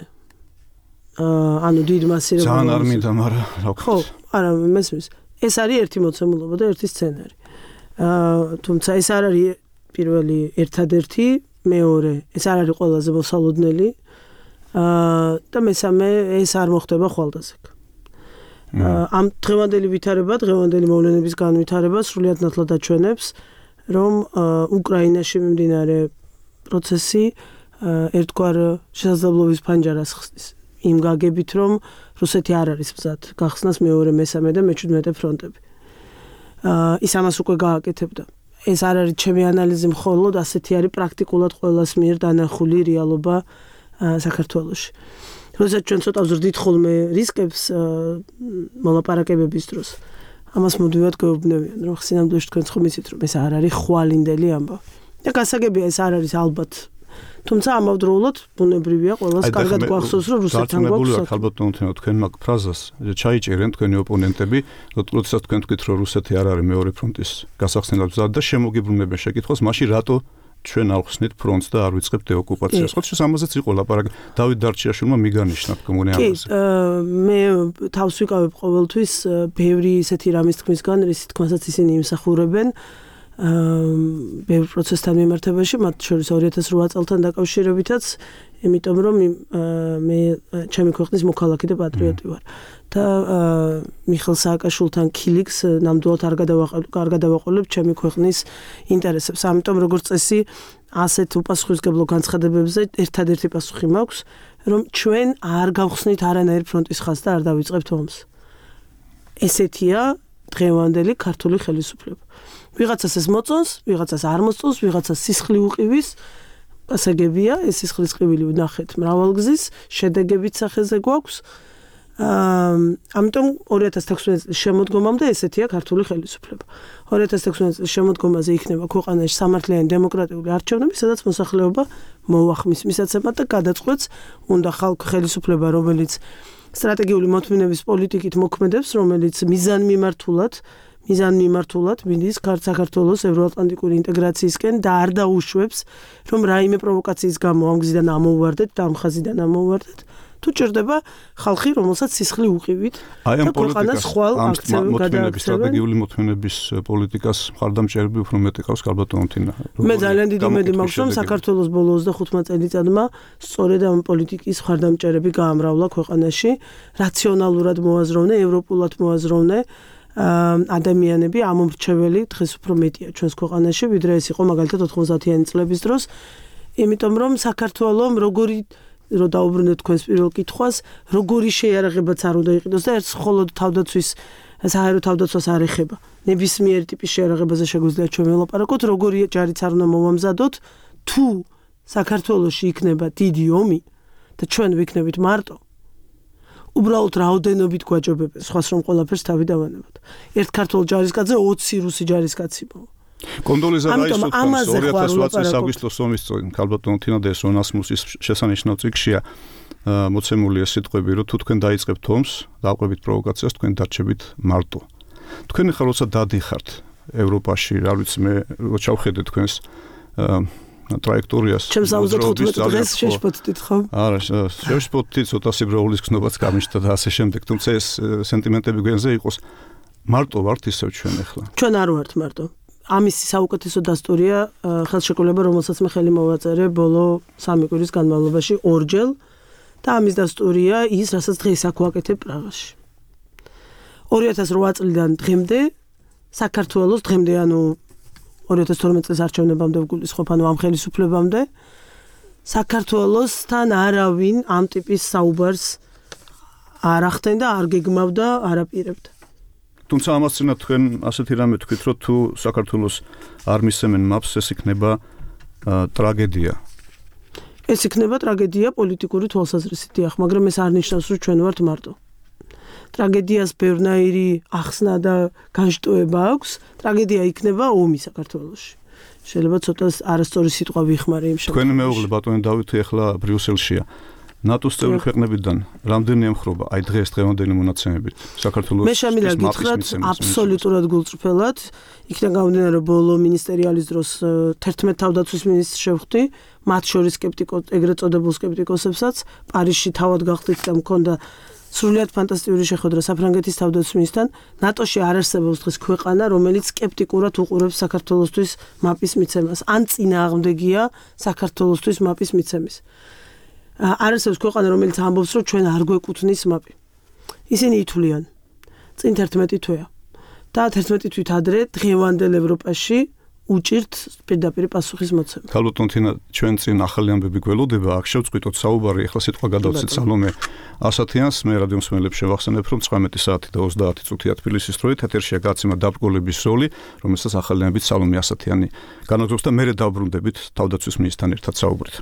ანუ დიდ მასირებად ძალიან არ მინდა, მაგრამ რა ვქოთ. ხო, არა, მესმის. ეს არის ერთი მოცემულობა და ერთი სცენარი. თუმცა ეს არ არის პირველი ერთადერთი მეორე ეს არ არის ყველაზე მოსალოდნელი და მესამე ეს არ მოხდება ხვალდაზექ. ამ დღევანდელი ვითარება, დღევანდელი მოვლენების განვითარება სრულიად ნათლად აჩვენებს, რომ უკრაინაში მიმდინარე პროცესი ერთგვარ შესაძლებლობის ფანჯარას ხსნის. იმ გაგებით, რომ რუსეთი არ არის მზად გახსნას მეორე, მესამე და მე-17 ფრონტები. ის ამას უკვე გააკეთებდა. ეს არ არის ჩემი ანალიზი მხოლოდ, ასეთი არის პრაქტიკულად ყველას მიერ დანახული რეალობა საქართველოში. როდესაც ჩვენ ცოტა ვზრდით ხოლმე რისკებს მოლაპარაკებების დროს, ამას მოდივად გვეუბნებიან, რომ სინამდვილეში თქვენ ხომ იცით, რომ ეს არ არის ხვალინდელი ამბავი. და გასაგებია ეს არ არის ალბათ. თუმცა ამავდროულად ბუნებრივია ყველას კარგად გვახსოვს, რომ რუსეთთან გვაქვს. ალბათ თუნდაც თქვენ მაგ ფრაზას ჩაიჭერენ თქვენი ოპონენტები, როდესაც თქვენ თქვით, რომ რუსეთი არ არის მეორე ფრონტის გასახსნელად მზად და შემოგიბრუნებენ შეკითხვას, მაშინ რატო ჩვენ ავხსნით ფრონტს და არ ვიწყებთ დეოკუპაციას. ხო, ამაზეც იყო ლაპარაკი. დავით დარჩიაშვილმა მიგანიშნა თქმული ამაზე. მე თავს ვიკავებ ყოველთვის ბევრი ისეთი რამის თქმისგან, რის თქმასაც ისინი იმსახურებენ. ბევრ პროცესთან მიმართებაში, მათ შორის 2008 წელთან დაკავშირებითაც, იმიტომ რომ მე ჩემი ქვეყნის მოქალაქე და პატრიოტი ვარ. და მიხეილ სააკაშვილთან ქილიქს ნამდვილად არ გადავაყოლებ ჩემი ქვეყნის ინტერესებს. ამიტომ როგორც წესი, ასეთ უპასუხისმგებლო განცხადებებზე ერთადერთი პასუხი მაქვს, რომ ჩვენ არ გავხსნით არანაირ ფრონტის ხაზს და არ დავიწყებთ ომს. ესეთია დღევანდელი ქართული ხელისუფლება. ვიღაცას ეს მოწონს, ვიღაცას არ მოწონს, ვიღაცას სისხლი უყივის, გასაგებია, ეს სისხლის ყივილი ვნახეთ მრავალგზის, შედეგებით სახეზე გვაქვს. ამიტომ 2016 წლის შემოდგომამდე ესეთია ქართული ხელისუფლება. 2016 წლის შემოდგომაზე იქნება ქვეყანაში სამართლიანი დემოკრატიული არჩევნები, სადაც მოსახლეობა მოუახმის მისაცემად და გადაწყვეტს, უნდა ხელისუფლება, რომელიც სტრატეგიული მოთმინების პოლიტიკით მოქმედებს, რომელიც მიზანმიმართულად მიდის საქართველოს ევროატლანტიკური ინტეგრაციისკენ და არ დაუშვებს, რომ რაიმე პროვოკაციის გამო ამ გზიდან ამოუვარდეთ და ამ ხაზიდან ამოუვარდეთ. თუ ჭირდება ხალხი, რომელსაც სისხლი უყივით და ქვეყანას ხვალ აქცევენ გადააქცევენ. სტრატეგიული მოთმინების პოლიტიკას მხარდამჭერები უფრო მეტი ყავს ქალბატონო თინა. მე ძალიან დიდი იმედი მაქვს, რომ საქართველოს ბოლო 25 წელიწადმა სწორედ ამ პოლიტიკის მხარდამჭერები გაამრავლა ქვეყანაში, რაციონალურად მოაზროვნე, ევროპულად მოაზროვნე ადამიანები ამომრჩეველი დღეს უფრო მეტია ჩვენს ქვეყანაში, ვიდრე ეს იყო მაგალითად 90-იანი წლების დროს, იმიტომ რომ საქართველოს როგორი რომ დაუბრუნდეთ თქვენს პირველ კითხვას, როგორი შეიარაღებაც არ უნდა იყიდოს და ერთს მხოლოდ თავდაცვის საჰაერო თავდაცვას არ ეხება. ნებისმიერი ტიპის შეიარაღებაზე შეგვიძლია ჩვენ ველაპარაკოთ, როგორი ჯარიც არ უნდა მოვამზადოთ, თუ საქართველოში იქნება დიდი ომი და ჩვენ ვიქნებით მარტო. უბრალოდ რაოდენობით გვაჯობებენ, სხვას რომ ყველაფერს თავი დავანებოთ. ერთ ქართულ ჯარისკაცზე 20 რუსი ჯარისკაცი მოვა. კონდოლიზა რაისუთხანს 2008 წლის აგვისტოს ომის წინ ქალბატონო თინა და სონასმუსის შესანიშნავ წიგნშია მოცემული ეს სიტყვები, რომ თუ თქვენ დაიწყებთ ომს, დავყვებით პროვოკაციას, თქვენ დარჩებით მარტო. თქვენ ახლა როცა დადიხართ ევროპაში, რა ვიცი მე, რო ჩავხედე თქვენს ტრაექტორიას. ჩემს 75 დღეს შეშფოთდით ხო? არა, შეშფოთდით, ცოტა სიბრაულის გნობაც გამიშთა და ასე შემდეგ, თუმცა ეს სენტიმენტები გვენზე იყოს. მარტო ვართ ისევ ჩვენ ახლა. ჩვენ არ ვართ მარტო. ამის საუკეთესო დასტურია ხელშეკრულება, რომელსაც მე ხელი მოვაწერე ბოლო 3 კვირის განმავლობაში ორჯერ და ამის დასტურია ის, რასაც დღეს აქ ვაკეთებ პრაღაში. 2008 წლიდან დღემდე საქართველოს დღემდე, ანუ 2012 წლის არჩევნებამდე ვგულისხმობ, ანუ ამ ხელისუფლებამდე საქართველოსთან არავინ ამ ტიპის საუბარს არ ახდენდა, არ გეგმავდა, არ აპირებდა. თუმცა ამას წინა თქვენ ასეთი რამე თქვით, რომ თუ საქართველოს არ მისცემენ მაპს, ეს იქნება ტრაგედია. ეს იქნება ტრაგედია პოლიტიკური თვალსაზრისით, დიახ, მაგრამ ეს არ ნიშნავს, რომ ჩვენ ვართ მარტო. ტრაგედიას ბევრნაირი ახსნა და განშტოება აქვს, ტრაგედია იქნება ომი საქართველოში. შეიძლება ცოტა არასწორი სიტყვა ვიხმარე იმ შემთხვევაში. თქვენი მეუღლე ბატონი დავითი ახლა ბრიუსელშია. ნატოს წევრი ქვეყნებიდან რამდენი ემხრობა აი დღევანდელი მონაცემებით საქართველოს მე შემიძლია გითხრათ აბსოლუტურად გულწრფელად იქიდან გამომდინარე ბოლო მინისტერიალის დროს 11 თავდაცვის მინისტრს შევხვდი მათ შორის ეგრეთ წოდებულ სკეპტიკოსებსაც პარიზში თავად გახდით და მქონდა სრულიად ფანტასტიკური შეხვედრა საფრანგეთის თავდაცვის მინისტრთან ნატოში არ არსებობს დღეს ქვეყანა რომელიც სკეპტიკურად უყურებს საქართველოსთვის მაპის მიცემას ან წინააღმდეგია საქართველოსთვის მაპის მიცემის არ არსებობს ქვეყანა რომელიც ამბობს რომ ჩვენ არ გვეკუთვნის მაპი ისინი ითვლიან წინ 11 თვეა და 11 თვით ადრე დღევანდელ ევროპაში უჭირთ პირდაპირ პასუხის მოცემა. ქალბატონ თინა ჩვენ წინ ახალი ამბები გველოდება, აქ შევწყვიტოთ საუბარი, ახლა სიტყვა გადავცეთ სალომე ასათიანს, მე რადიო მსმენელებს შევახსენებ, რომ 19 საათი და 30 წუთია თბილისის დროით ეთერშია გაცემა დაბრკოლების როლი, რომელსაც ახალი ამბებით სალომე ასათიანი განაგზობს და მერე დავბრუნდებით თავდაცვის მინისტრთან ერთად საუბრით.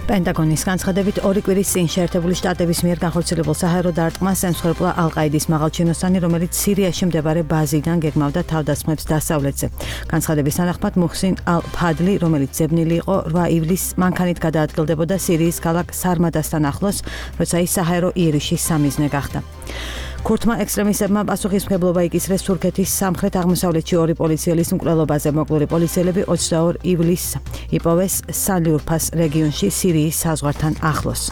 პენტაგონის განცხადებით ორი კვირის წინ შეერთებული შტატების მიერ განხორციელებულ საჰაერო დარტყმას ემსხვერპლა ალ-ყაიდის მაღალჩინოსანი, რომელიც სირიაში მდებარე ბაზიდან გეგმავდა თავდასხმებს დასავლეთზე. განცხადების თანახმად მუხსინ ალ-ფადლი, რომელიც ძებნილი იყო 8 ივლისს, მანქანით გადაადგილდებოდა სირიის ქალაქ სარმადასთან ახლოს, როცა ის საჰაერო იერიშის სამიზნე გახდა. ქურთმა ექსტრემისტებმა პასუხისმგებლობა იკისრეს თურქეთის სამხრეთ-აღმოსავლეთში ორი პოლიციელის მკვლელობაზე. მოკლული პოლიციელები 22 ივლისს იპოვეს სალიურფას რეგიონში სირიის საზღვართან ახლოს.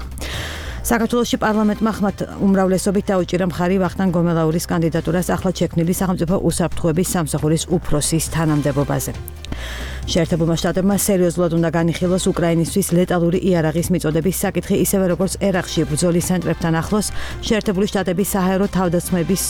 საქართველოში პარლამენტმა ხმათ უმრავლესობით დაუჭირა მხარი ვახტანგ გომელაურის კანდიდატურას ახლად შექმნილი სახელმწიფო უსაფრთხოების სამსახურის უფროსის თანამდებობაზე. შეერთებულმა შტატებმა სერიოზულად უნდა განიხილოს უკრაინისთვის ლეტალური იარაღის მიწოდების საკითხი, ისევე როგორც ერაყში ბრძოლის ცენტრებთან ახლოს შეერთებული შტატების საჰაერო თავდასხმების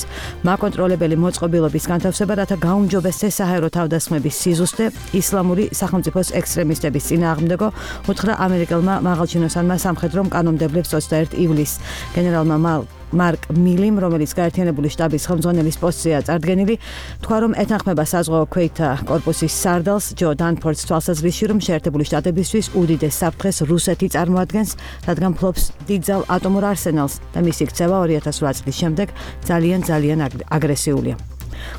მაკონტროლებელი მოწყობილობის განთავსება, რათა გაუმჯობესდეს საჰაერო თავდასხმების სიზუსტე ისლამური სახელმწიფოს ექსტრემისტების წინააღმდეგო, უთხრა ამერიკელმა მაღალჩინოსანმა სამხედრო კანონმდებლებს 21 ივლისს. გენერალმა მარკ მილიმ, რომელიც გაერთიანებული შტაბის ხელმძღვანელის პოსტზეა წარდგენილი, თქვა, რომ ეთანხმება საზღვაო ქვეითთა კორპუსის სარდალს ჯო დანფორდს თვალსაზრისში, რომ შეერთებული შტატებისთვის უდიდეს საფრთხეს რუსეთი წარმოადგენს, რადგან ფლობს დიდძალ ატომურ არსენალს და მისი ქცევა 2008 წლის შემდეგ ძალიან აგრესიულია.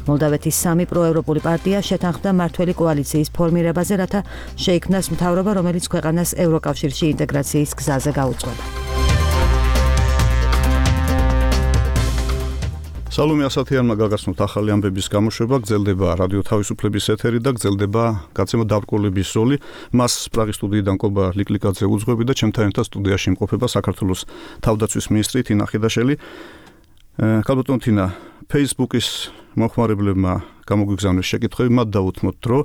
მოლდავეთის 3 პროევროპული პარტია შეთანხმდა მართველი კოალიციის ფორმირებაზე, რათა შეიქმნას მთავრობა, რომელიც ქვეყანას ევროკავშირში ინტეგრაციის გზაზე გაუწყდება. სალომე ასათიანმა გაგაცნოთ ახალი ამბების გამოშვება, გრძელდება რადიო თავისუფლების ეთერი და გრძელდება გაცემა დაბრკოლების როლი. მას პრაღის სტუდიიდან კობა ლიკლიკაძე უძღვები და ჩემთან ერთად სტუდიაში იმყოფება საქართველოს თავდაცვის მინისტრი თინა ხიდაშელი. ქალბატონ თინა, Facebook-ის მომხმარებლებმა გამოგვიგზავნეს შეკითხვები, მათ დაუთმოთ, რომ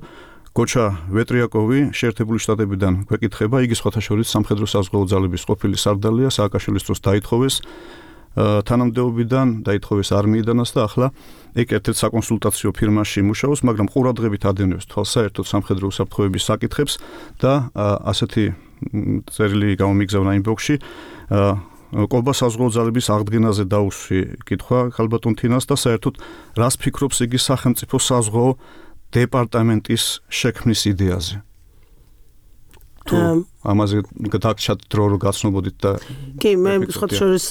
გოჩა ვეტრიაკოვი შეერთებული შტატებიდან გვეკითხება, იგი სხვათა შორის სამხედრო საზღვაო ძალების ყოფილი სარდალია, სააკაშვილის დროს დაითხოვეს თანამდებობიდან, დაითხოვეს არმიიდანაც და ახლა ეგ ერთ-ერთ საკონსულტაციო ფირმაში მუშაობს, მაგრამ ყურადღებით ადევნებს თვალს საერთოდ სამხედრო უსაფრთხოების საკითხებს და ასეთი წერილი გამომიგზავნა ინბოქსში. ყობა საზღვაო ძალების აღდგენაზე დაუსვი კითხვა ქალბატონ თინას და საერთოდ რას ფიქრობს იგი სახელმწიფო საზღვაო დეპარტამენტის შექმნის იდეაზე? თუ ამაზე გადაგჭათ დრო რო გაცნობოდით და კი, მე სხვათა შორის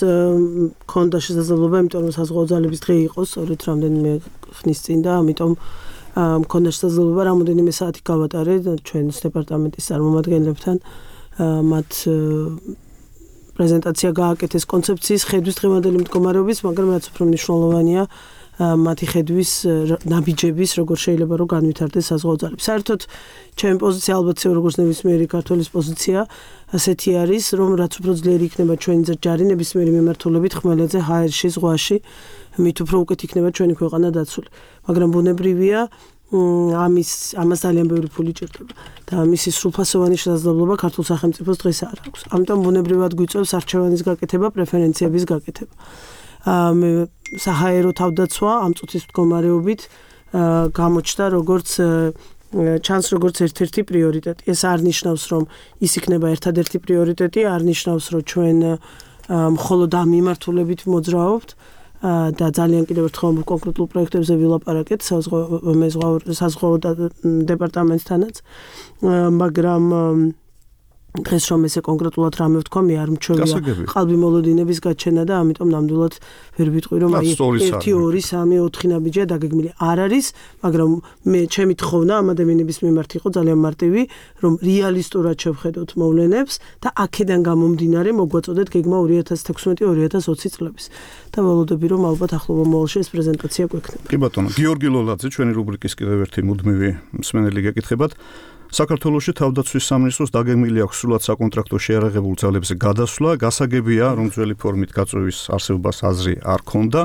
მქონდა შესაძლებლობა, იმიტომ რომ საზღვაო ძალების დღე იყო სწორედ რამდენიმე ხნის წინ და ამიტომ მქონდა შესაძლებლობა რამოდენიმე საათი გავატარე ჩვენს დეპარტამენტის წარმომადგენლებთან მათ პრეზენტაცია გააკეთეს კონცეფციის ხედვის დღევანდელი მდგომარეობის, მაგრამ რაც უფრო მნიშვნელოვანია მათი ხედვის ნაბიჯების, როგორ შეიძლება რომ განვითარდეს საზღვაო ძალები. საერთოდ ჩემი პოზიცია ალბათ როგორც ნებისმიერი ქართველის პოზიცია ასეთი არის, რომ რაც უფრო ძლიერი იქნება ჩვენი ჯარი ნებისმიერი მიმართულებით ხმელეთზე ჰაერში, ზღვაში, მით უფრო უკეთ იქნება ჩვენი ქვეყანა დაცული. მაგრამ ბუნებრივია ამას ძალიან ბევრი ფული ჭირდება და მისი სრულფასოვანი შესაძლებლობა ქართულ სახელმწიფოს დღეს არ აქვს. ამიტომ ბუნებრივად გვიწევს არჩევანის გაკეთება, პრეფერენციების გაკეთება. საჰაერო თავდაცვა ამ წუთის მდგომარეობით გამოჩნდა როგორც ჩანს როგორც ერთ-ერთი პრიორიტეტი. ეს არ ნიშნავს, რომ ის იქნება ერთადერთი პრიორიტეტი, არ ნიშნავს, რომ ჩვენ მხოლოდ ამ მიმართულებით მოძრაობთ და ძალიან კიდევ ერთხელ კონკრეტულ პროექტებზე ვილაპარაკეთ საზღვაო დეპარტამენტთანაც, მაგრამ დღეს რომ ესე კონკრეტულად რამე ვთქვა, მე არ მჩვევია ყალბი მოლოდინების გაჩენა და ამიტომ ნამდვილად ვერ ვიტყვი რომ აი 1 2 3 4 ნაბიჯია დაგეგმილი არ არის, მაგრამ მე ჩემი თხოვნა ამ ადამიანების მიმართ იყო ძალიან მარტივი, რომ რეალისტურად შევხედოთ მოვლენებს და აქედან გამომდინარე მოგვაწოდეთ გეგმა 2016-2020 წლების. და ველოდები რომ ალბათ ახლო მომავალში ეს პრეზენტაცია გვექნება. კი ბატონო, გიორგი ლოლაძე, ჩვენი რუბრიკის კიდევ ერთი მუდმივი მსმენელი გეკითხებათ. საქართველოში თავდაცვის სამინისტროს დაგეგმილი აქვს სრულად საკონტრაქტო შეიარაღებულ ძალებზე გადასვლა, გასაგებია, რომ ძველი ფორმით გაწევის არსებობას აზრი არ ქონდა,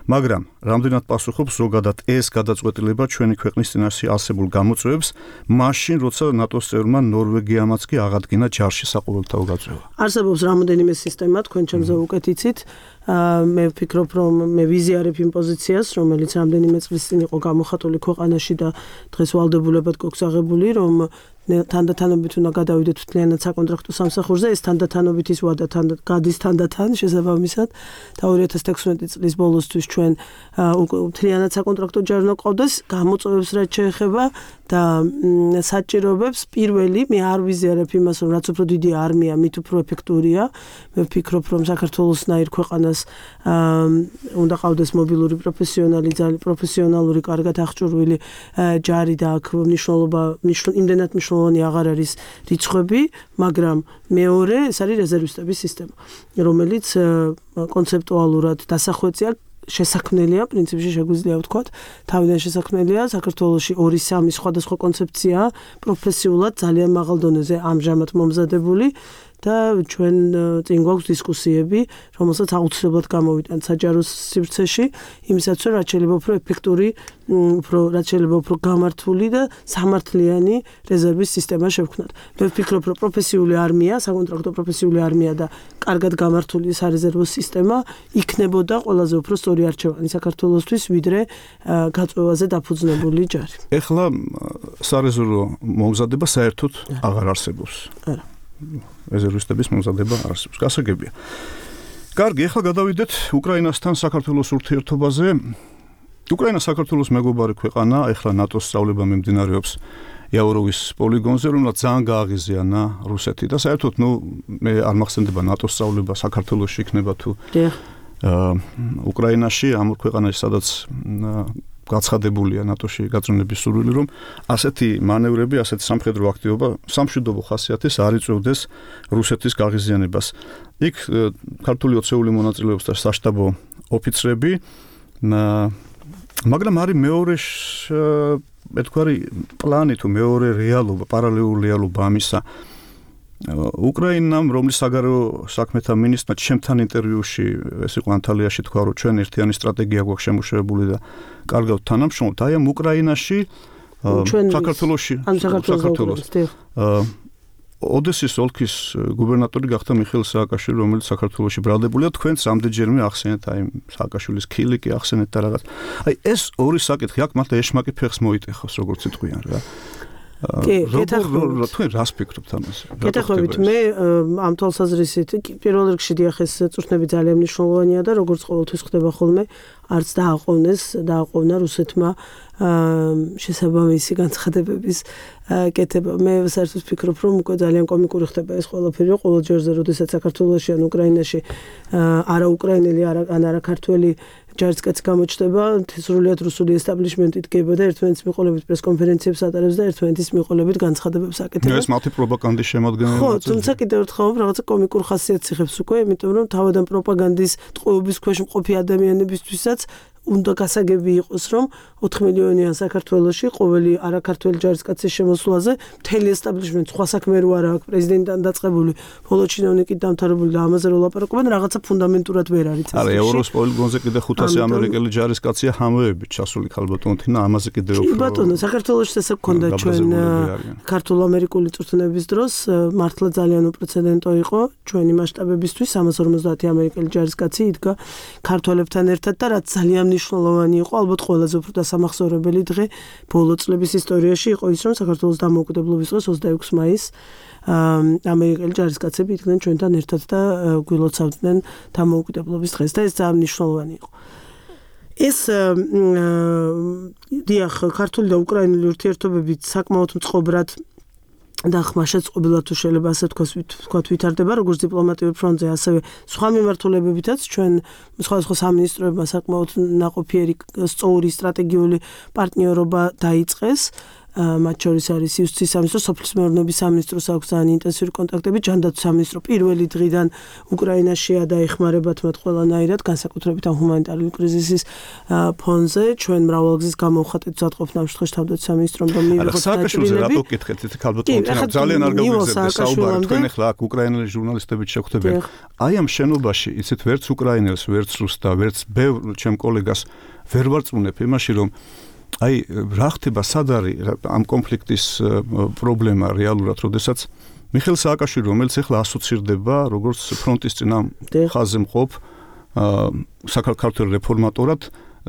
მაგრამ რამდენად პასუხობს ზოგადად ეს გადაწყვეტილება ჩვენი ქვეყნის წინაშე არსებულ გამოწვევებს, მაშინ როცა ნატოს წევრმა ნორვეგიამაც კი აღადგინა ჯარში საყოველთაო გაწევა. არსებობს რამოდენიმე სისტემა, თქვენ ჩემზე უკეთ იცით. მე ვფიქრობ, რომ მე ვიზიარებ იმ პოზიციას, რომელიც რამდენიმე წლის წინ იყო გამოხატული ქვეყანაში და დღეს ვალდებულებად გოგზააღებული, რომ თანდათანობით უნდა გადავიდეთ მთლიანად საკონტრაქტო სამსახურზე, ეს თანდათანობით ის ვადა გადის თანდათან შესაბამისად და 2016 წლის ბოლოსთვის ჩვენ მთლიანად საკონტრაქტო ჯარი უნდა ყავდეს, გამოწვევებს რაც შეეხება და საჭიროებებს პირველი მე არ ვიზიარებ იმას, რომ რაც უფრო დიდი არმია, მით უფრო ეფექტურია. მე ვფიქრობ, რომ საქართველოსნაირ ქვეყანას უნდა ყავდეს მობილური პროფესიონალური, კარგად აღჭურვილი ჯარი და აქ იმდენად მნიშვნელოვანი აღარ არის რიცხვები, მაგრამ მეორე ეს არის რეზერვისტების სისტემა, რომელიც კონცეპტუალურად დასახვეწია შესაქმნელია, პრინციპში შეგვიძლია ვთქვათ, თავიდან შესაქმნელია, საქართველოში 2-3 სხვადასხვა კონცეფცია პროფესიულად ძალიან მაღალ დონეზე ამჟამად მომზადებული და ჩვენ წინ გვაქვს დისკუსიები, რომელსაც აუცილებლად გამოვიტანთ საჯარო სივრცეში, იმისაც რომ რაც შეიძლება უფრო ეფექტური, რაც შეიძლება უფრო გამართული და სამართლიანი რეზერვის სისტემა შევქმნათ. მე ვფიქრობ, რომ პროფესიული არმია, საკონტრაქტო პროფესიული არმია და კარგად გამართული სარეზერვო სისტემა იქნებოდა ყველაზე უფრო სწორი არჩევანი საქართველოსთვის, ვიდრე გაწევაზე დაფუძნებული ჯარი. ეხლა სარეზერვო მომზადება საერთოდ აღარ არსებობს. არა. რეზერვისტების მომზადება არსებობს. გასაგებია. კარგი, ეხლა გადავიდეთ უკრაინასთან საქართველოს ურთიერთობაზე. უკრაინა საქართველოს მეგობარი ქვეყანა, ეხლა ნატოს სწავლება მიმდინარეობს იავროვის პოლიგონზე, რომელსაც ძალიან გააღიზიანა რუსეთი და საერთოდ მე არ მახსენდება ნატოს სწავლება საქართველოში იქნება თუ უკრაინაში, ამ ქვეყანაში, სადაც გაცხადებულია ნატოში გაწმენდების სურვილი, რომ ასეთი მანევრები, ასეთი სამხედრო აქტივობა სამშვიდობო ხასიათის არ იწვევდეს რუსეთის გაღიზიანებას. იქ ქართული ოცეული მონაწილეობს და საშტაბო ოფიცრები, მაგრამ არის მეორე მეთქვარი პლანი თუ მეორე რეალობა, პარალელური რეალობა ამისა. უკრაინამ, რომლის საგარეო საქმეთა მინისტრმა ჩემთან ინტერვიუში, ეს იყო ანტალიაში, თქვა, რომ ჩვენ ერთიანი სტრატეგია გვაქვს შემუშავებული და კარგავთ თანამშრომლობთ. აი ამ უკრაინაში, საქართველოში, ოდესის ოლქის გუბერნატორი გახდა მიხეილ სააკაშვილი, რომელიც საქართველოში ბრალდებულია. თქვენც ამდენჯერმე ახსენეთ აი სააკაშვილის ქილიკი ახსენეთ და რაღაც. აი ეს ორი საკითხი აქ მართლა ეშმაკი ფეხს მოიტეხავს, როგორც იტყვიან რა. თქვენ რას ფიქრობთ ამაზე? გეთახვებით, მე ამ თვალსაზრისით პირველ რიგში დიახ ეს წვრთნები ძალიან მნიშვნელოვანია და როგორც ყოველთვის ხდება ხოლმე, არც დააყოვნა რუსეთმა შესაბამისი განცხადებების კეთება. მე საერთოდ ვფიქრობ, რომ უკვე ძალიან კომიკური ხდება ეს ყველაფერი, ყოველ ჯერზე, როდესაც საქართველოში ან უკრაინაში არა უკრაინელი, არა ქართველი ჯარისკაცი გამოჩნდება, სრულიად რუსული ესტაბლიშმენტი დგება და ერთმანეთის მიყოლებით პრესკონფერენციებს ატარებს და ერთმანეთის მიყოლებით განცხადებებს აკეთებს. ეს მათი პროპაგანდის შემადგენელი. ხო, თუმცა კიდევ ერთხელ რაღაცა კომიკურ ხასიათს იღებს უკვე, იმიტომ რომ თავიდან პროპაგანდის ტყვეობის ქვეშ მყოფი ადამიანებისთვისაც უნდა გასაგები იყოს, რომ 4 მილიონიან საქართველოში ყოველი არაქართველი ჯარისკაცის შემოსვლაზე მთელი ესტაბლიშმენტი სხვა საქმე რო არა აქვს, პრეზიდენტთან დაწყებული, ბოლო ჩინოვნიკით დამთავრებული და ამაზე რო ლაპარაკობენ, რაღაცა ფუნდამენტურად ვერ არის ეს. არა, ევროს პოლიგონზე კიდე 500 ამერიკელი ჯარისკაცია ჰამოებით ჩასული ქალბატონთინა, ამაზე კიდე უფრო. კი ბატონო, საქართველოში ესე გქონდა ჩვენ ქართულ-ამერიკული წვრთნების დროს, მართლა ძალიან უპრეცედენტო იყო ჩვენი მასშტაბებისთვის, 350 ამერიკელი ჯარისკაცი იდგა ქართველებთან ერთად და რაც ძალიან მნიშვნელოვანი იყო, ალბათ ყველაზე უფრო დასამახსოვრებელი დღე ბოლო წლების ისტორიაში იყო ის, რომ საქართველოს დამოუკიდებლობის დღეს 26 მაისს ამერიკელი ჯარისკაცები იდგნენ ჩვენთან ერთად და გვილოცავდნენ დამოუკიდებლობის დღეს და ეს ძალიან მნიშვნელოვანი იყო. ეს დიახ, ქართული და უკრაინული ურთიერთობები საკმაოდ მწყობრად და ხმაშეწყობილად თუ შეიძლება ასე ვთქვათ ვითარდება როგორც დიპლომატიურ ფრონტზე, ასევე სხვა მიმართულებებითაც ჩვენ სხვადასხვა სამინისტროებმა საკმაოდ ნაყოფიერი სწორი სტრატეგიული პარტნიორობა დაიწყეს. მათ შორის არის იუსტიციის სამინისტრო, სოფლის მეურნეობის სამინისტროს აქვს ძალიან ინტენსიური კონტაქტები, ჯანდაცვის სამინისტრო პირველი დღიდან უკრაინაშია და ეხმარებათ მათ ყველანაირად, განსაკუთრებით ამ ჰუმანიტარული კრიზისის ფონზე. ჩვენ მრავალგზის გამოვხატეთ უზადყოფნა ამ შემთხვევაში თავდაცვის სამინისტრომ და მიიღოთ სააკაშვილზე რატო გითხეთ ეს ქალბატონო ძალიან არ გავიგზავნე საუბარი თქვენ ახლა აქ უკრაინელი ჟურნალისტებით შეგხვდებიან. აი ამ შენობაში იცით ვერც უკრაინელს, ვერც რუსს და ვერც ბევრ ჩემ კოლეგას ვერ ვარწმუნებ იმაში რომ აი რა ხდება სად არის ამ კონფლიქტის პრობლემა რეალურად, როდესაც მიხეილ სააკაშვილი, რომელიც ახლა ასოცირდება როგორც ფრონტის წინა ხაზზე მყოფ საქართველოს რეფორმატორად,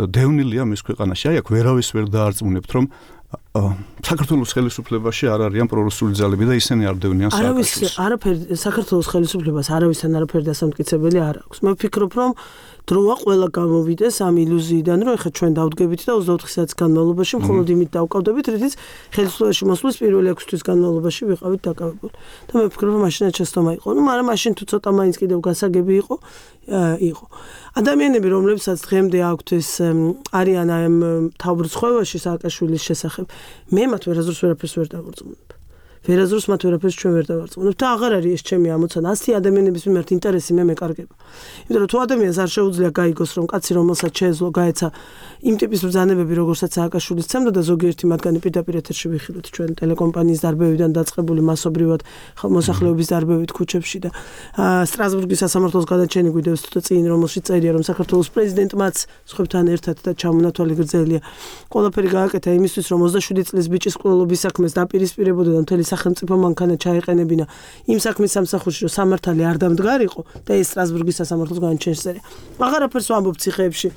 დევნილია მის ქვეყანაში. აი აქ ვერავის ვერ დაარწმუნებთ, რომ საქართველოს ხელისუფლებაში არ არიან პრორუსული ძალები და ისინი არ დევნიან სააკაშვილს. არაფერი საქართველოს ხელისუფლებას არავისთან არაფერი დასამტკიცებელი არ აქვს. მე ვფიქრობ, რომ დროა ყველა გამოვიდეს ამ ილუზიიდან, რომ ეხლა ჩვენ დავდგებით და 24 საათის განმავლობაში მხოლოდ იმით დავკავდებით, რითიც ხელისუფლებაში მოსვლის პირველი 6 თვის განმავლობაში ვიყავით დაკავებული. და მე ვფიქრობ, რომ მაშინაც შეცდომა იყო. ნუ მაგრამ მაშინ თუ ცოტა მაინც კიდევ გასაგები იყო. ადამიანები, რომლებსაც დღემდე აქვთ ეს არიან ამ თავბრწყევაში სააკაშვილის შესახებ, მე მათ ვერაზრს ვერაფერს ვერ დავარწმუნებ. ვერაზრს მათ ვერაფერს ჩვენ ვერ დავარწმუნებ და აღარ არის ეს ჩემი ამოცანა. ასეთი ადამიანების მიმართ ინტერესი მე მეკარგება. იმიტომ რომ თუ ადამიანს არ შეუძლია გაიგოს, რომ კაცი რომელსაც შეეძლო გაეცა იმ ტიპის ბრძანებები, როგორცაც სააკაშვილის ცემდა და ზოგიერთი მათგანი პირდაპირ ეთერში ვიხილოთ ჩვენ ტელეკომპანიის დარბევიდან დაწყებული მასობრივად მოსახლეობის დარბევით ქუჩებში და სტრასბურგის სასამართლოს გადაჩენი გვიდევს თუ წინ რომელშიც წერია რომ საქართველოს პრეზიდენტმაც სხვებთან ერთად და ჩამონათვალი გრძელია ყველაფერი გააკეთა იმისთვის რომ 27 წლის ბიჭის ყოლობის საქმეს დაპირისპირებოდა და მთელი სახელმწიფო მანქანა ჩაეყენებინა იმ საქმის სამსახურში რომ სამართალი არ დამდგარიყო და ეს სტრასბურგის სასამართლოს განაჩენს წერია. აღარაფერს ვამბობ ციხეებში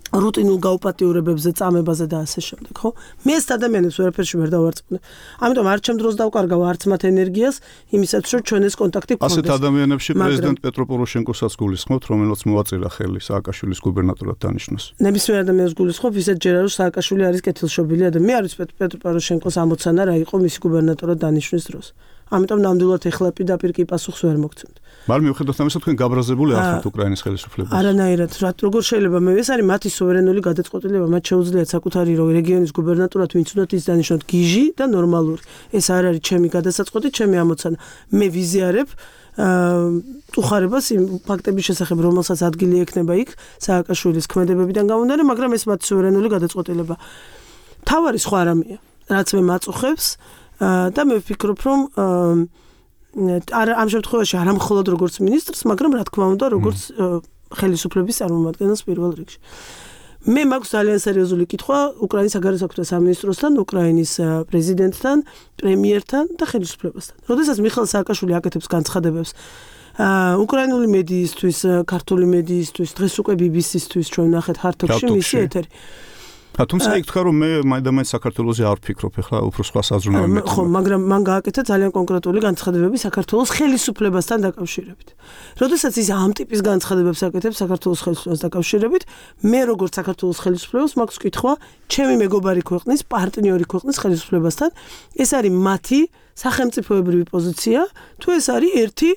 რუტინულ გაუპატიურებებზე, წამებაზე და ასე შემდეგ, ხო? მე ეს ადამიანებს ვერაფერში ვერ დავარწმუნებ. ამიტომ არ ჩემ დროს დავკარგავ არც მათ ენერგიას, იმისათვის რომ ჩვენ ეს კონტაქტი გქონდეს. ასეთ ადამიანებში პრეზიდენტ პეტრო პოროშენკოსაც გულისხმობთ, რომელიც მოაწირა ხელი სააკაშვილის გუბერნატორად დანიშნოს. ნებისმიერ ადამიანს გულისხმობ, ისეთ ჯერა რომ სააკაშვილი არის კეთილშობილი ადამიანი. მე არის პეტრო პოროშენკოს ამოცანა რა იყო მისი გუბერნატორად დანიშვნის დროს. ამიტომ ნამდვილად ეხლა პირდაპირ კი პასუხს ვერ მოგცემთ. მაგრამ მიუხედავად ამისა, თქვენ გაბრაზებული ახართ უკრაინის ხელისუფლებას. არანაირად, როგორ შეიძლება მე ეს არის მათი სუვერენული გადაწყვეტილება, მათ შეუძლიათ საკუთარი რეგიონის გუბერნატორად ვინც უნდათ ის დანიშნოთ გიჟი და ნორმალური. ეს არ არის ჩემი გადასაწყვეტი, ჩემი ამოცანა. მე ვიზიარებ უხარებას იმ ფაქტების შესახებ, რომელსაც ადგილი ექნება იქ სააკაშვილის ქმედებებიდან გამომდინარე, მაგრამ ეს მათი სუვერენული გადაწყვეტილება. თავარი სხვა რამეა, რაც მე მაწუხებს და მე ვფიქრობ, რომ ამ შემთხვევაში არა მხოლოდ როგორც მინისტრს, მაგრამ რა თქმა უნდა, როგორც ხელისუფლების წარმომადგენელს პირველ რიგში. მე მაქვს ძალიან სერიოზული კითხვა უკრაინის საგარეო საქმეთა სამინისტროსთან, უკრაინის პრეზიდენტთან, პრემიერთან და ხელისუფლებასთან. როდესაც მიხეილ სააკაშვილი აკეთებს განცხადებებს უკრაინული მედიისთვის, ქართული მედიისთვის, დღეს უკვე BBC-ისთვის ჩვენ ნახეთ ჰართოგში მისი ეთერი. თუმცა იქ თქვა რომ მე მაინც საქართველოსზე არ ვფიქრობ, ახლა უფრო სხვა საზრუნავი. ხო, მაგრამ მან გააკეთა ძალიან კონკრეტული განცხადებები საქართველოს ხელისუფლებასთან დაკავშირებით. როდესაც ის ამ ტიპის განცხადებებს აკეთებს საქართველოს ხელისუფლებას დაკავშირებით, მე როგორც საქართველოს ხელისუფლებას მაქვს კითხვა ჩემი მეგობარი ქვეყნის, პარტნიორი ქვეყნის ხელისუფლებასთან, ეს არის მათი სახელმწიფოებრივი პოზიცია, თუ ეს არის ერთი